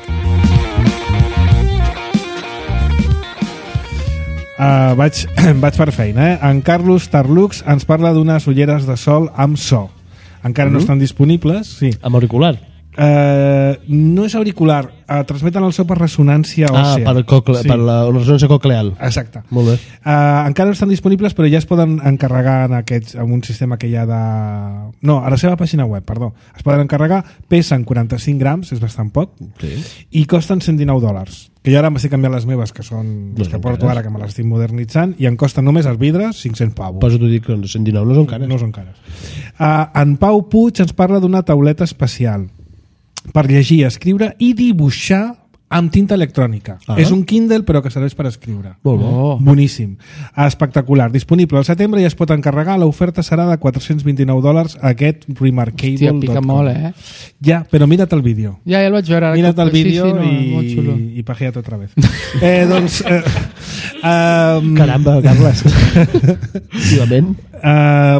Vaig per feina. En Carlos Tarlux ens parla d'unes ulleres de sol amb so. Encara no estan disponibles. Sí. Amb auricular? No és auricular, transmeten el so per ressonància òssea. Per la ressonància cocleal. Exacte. Molt bé. Encara no estan disponibles, però ja es poden encarregar amb un sistema que hi ha de... No, a la seva pàgina web, perdó. Es poden encarregar, pesen 45 grams, és bastant poc, i costen $119. Que jo ara m'estic canviant les meves, que són les que porto ara, que me les estic modernitzant, i em costen només els vidres 500 pavos. Però t'ho dic que 119 no són cares. No són cares. En Pau Puig ens parla d'una tauleta especial per llegir, escriure i dibuixar amb tinta electrònica. És un Kindle però que serveix per escriure. Molt bo. Boníssim. Espectacular. Disponible al setembre i es pot encarregar. L'oferta serà de $429 aquest Remarkable.com. Hòstia, pica molt, Ja, però mira't el vídeo. Ja el vaig veure. Mira't el vídeo i pajea't otra vez. Doncs... Caramba, Carles. Efectivament.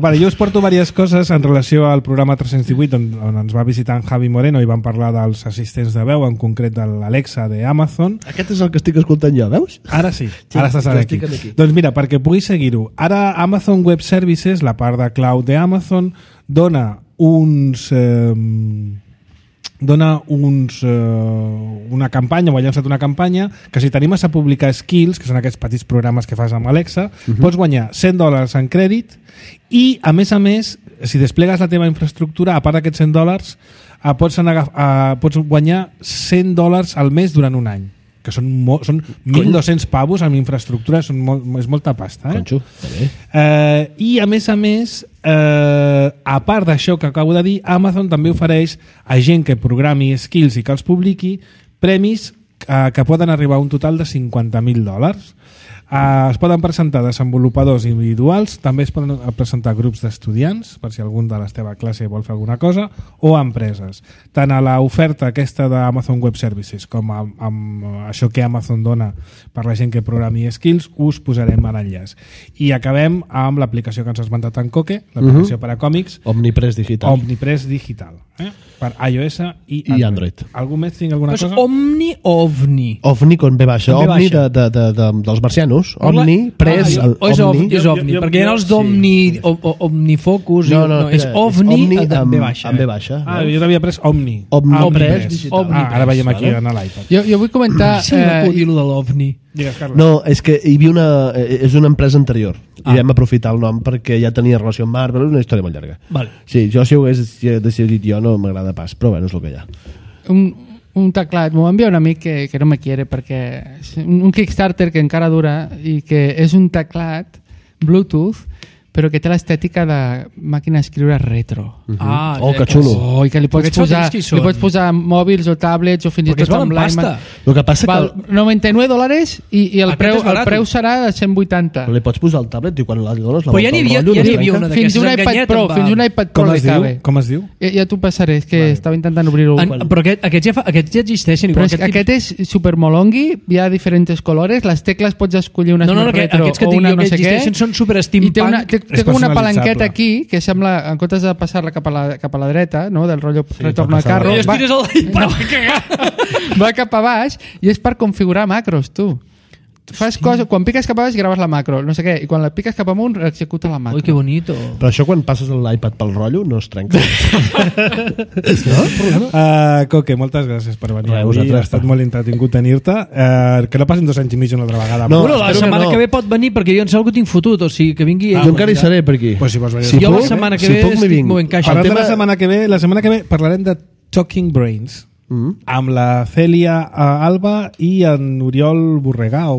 Vale, jo us porto diverses coses en relació al programa 318 on ens va visitar en Javi Moreno i vam parlar dels assistents de veu, en concret de l'Alexa d'Amazon. Aquest és el que estic escoltant jo, veus? Ara sí, ara estàs aquí. Doncs mira, perquè puguis seguir-ho, ara Amazon Web Services, la part de cloud d'Amazon, dona una campanya, o ha llançat una campanya que si t'animes a publicar skills, que són aquests petits programes que fas amb Alexa, pots guanyar $100 en crèdit i a més, si desplegues la teva infraestructura, a part d'aquests $100 pots guanyar $100 al mes durant un any, que són 1.200 pavos amb infraestructura, és molta pasta. Conxo, I a més, a part d'això que acabo de dir, Amazon també ofereix a gent que programi skills i que els publiqui premis que poden arribar a un total de $50.000. Es poden presentar desenvolupadors individuals, també es poden presentar grups d'estudiants, per si algun de la teva classe vol fer alguna cosa, o empreses. Tant a l'oferta aquesta d'Amazon Web Services com amb això que Amazon dona per la gent que programi skills, us posarem a l'enllaç. I acabem amb l'aplicació que ens has esmentat en Coque, l'aplicació per a còmics Omnipress Digital. Omnipress Digital, per iOS i Android. Algú més tinc alguna cosa? Omni o OVNI? OVNI con B baixa. OVNI dels marcianos. Omni, Press, és OVNI, perquè hi ha els d'Omni, Omnifocus, no, és OVNI amb B baixa. Amb B baixa. Jo t'havia pres Omni. Omnipress Digital. Ara veiem aquí en l'iPad. Jo vull comentar... Sí, no puc dir-ho de l'OVNI. No, és que hi havia és una empresa anterior i vam aprofitar el nom perquè ja tenia relació amb Marvel, és una història molt llarga. Sí, jo si ho hagués decidit jo no m'agrada pas, però bueno, és el que hi ha. Un teclat, m'ho va enviar un amic que no me quiere perquè és un Kickstarter que encara dura i que és un teclat Bluetooth però que té l'estètica de màquina d'escriure retro. Que xulo. I que li pots posar mòbils o tablets o fins i tot amb l'iMac. El que passa val $99 i el preu serà de 180. Però li pots posar el tablet i quan li dones la volta al rotllo... Però ja n'hi havia una d'aquestes enganyeta. Fins un iPad Pro li cabe. Com es diu? Ja t'ho passaré, és que estava intentant obrir-ho. Però aquests ja existeixen. Però aquest és supermolongui, hi ha diferents colores, les tecles pots escollir una retro o una no sé què. Aquests són super steampunk. Té com una palanqueta aquí que sembla, en comptes de passar-la cap a la dreta, no? Del rotllo retorno al carro, va cap a baix i és per configurar macros, tu. Fas coses, quan piques cap a baix graves la macro, no sé què, i quan la piques cap amunt executa la macro. Ui, que bonito. Però això quan passes l'iPad pel rotllo no es trenca. Coque, moltes gràcies per venir avui. Ha estat molt entretingut tenir-te. Que no passin 2 anys i mig una altra vegada. La setmana que ve pot venir perquè jo en sé algú tinc fotut, o sigui que vingui... Jo encara hi seré per aquí. Jo la setmana que ve m'ho encaixo. La setmana que ve parlarem de Talking Brains. Amb la Cèlia Alba i en Oriol Borrega.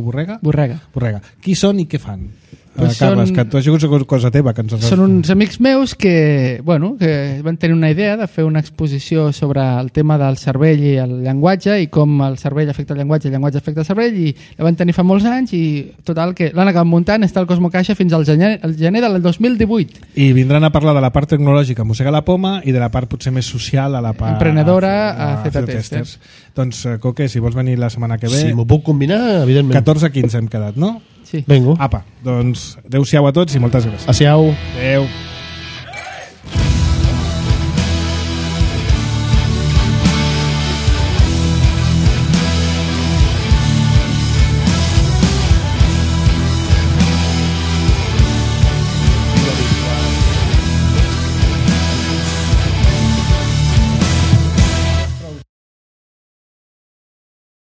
Qui són i què fan? Carles, que tu has sigut cosa teva que ens has... Són uns amics meus que van tenir una idea de fer una exposició sobre el tema del cervell i el llenguatge i com el cervell afecta el llenguatge afecta el cervell, i la van tenir fa molts anys i total que l'han acabat muntant, està al Cosmo Caixa fins al gener del 2018. I vindran a parlar de la part tecnològica a Mossega la Poma i de la part potser més social a la part... emprenedora a Z-Testers. Doncs, Coque, si vols venir la setmana que ve... Si m'ho puc combinar, evidentment. 14-15 hem quedat, no? Sí. Vengo. Apa, doncs adeu-siau a tots i moltes gràcies. Adeu. Adeu.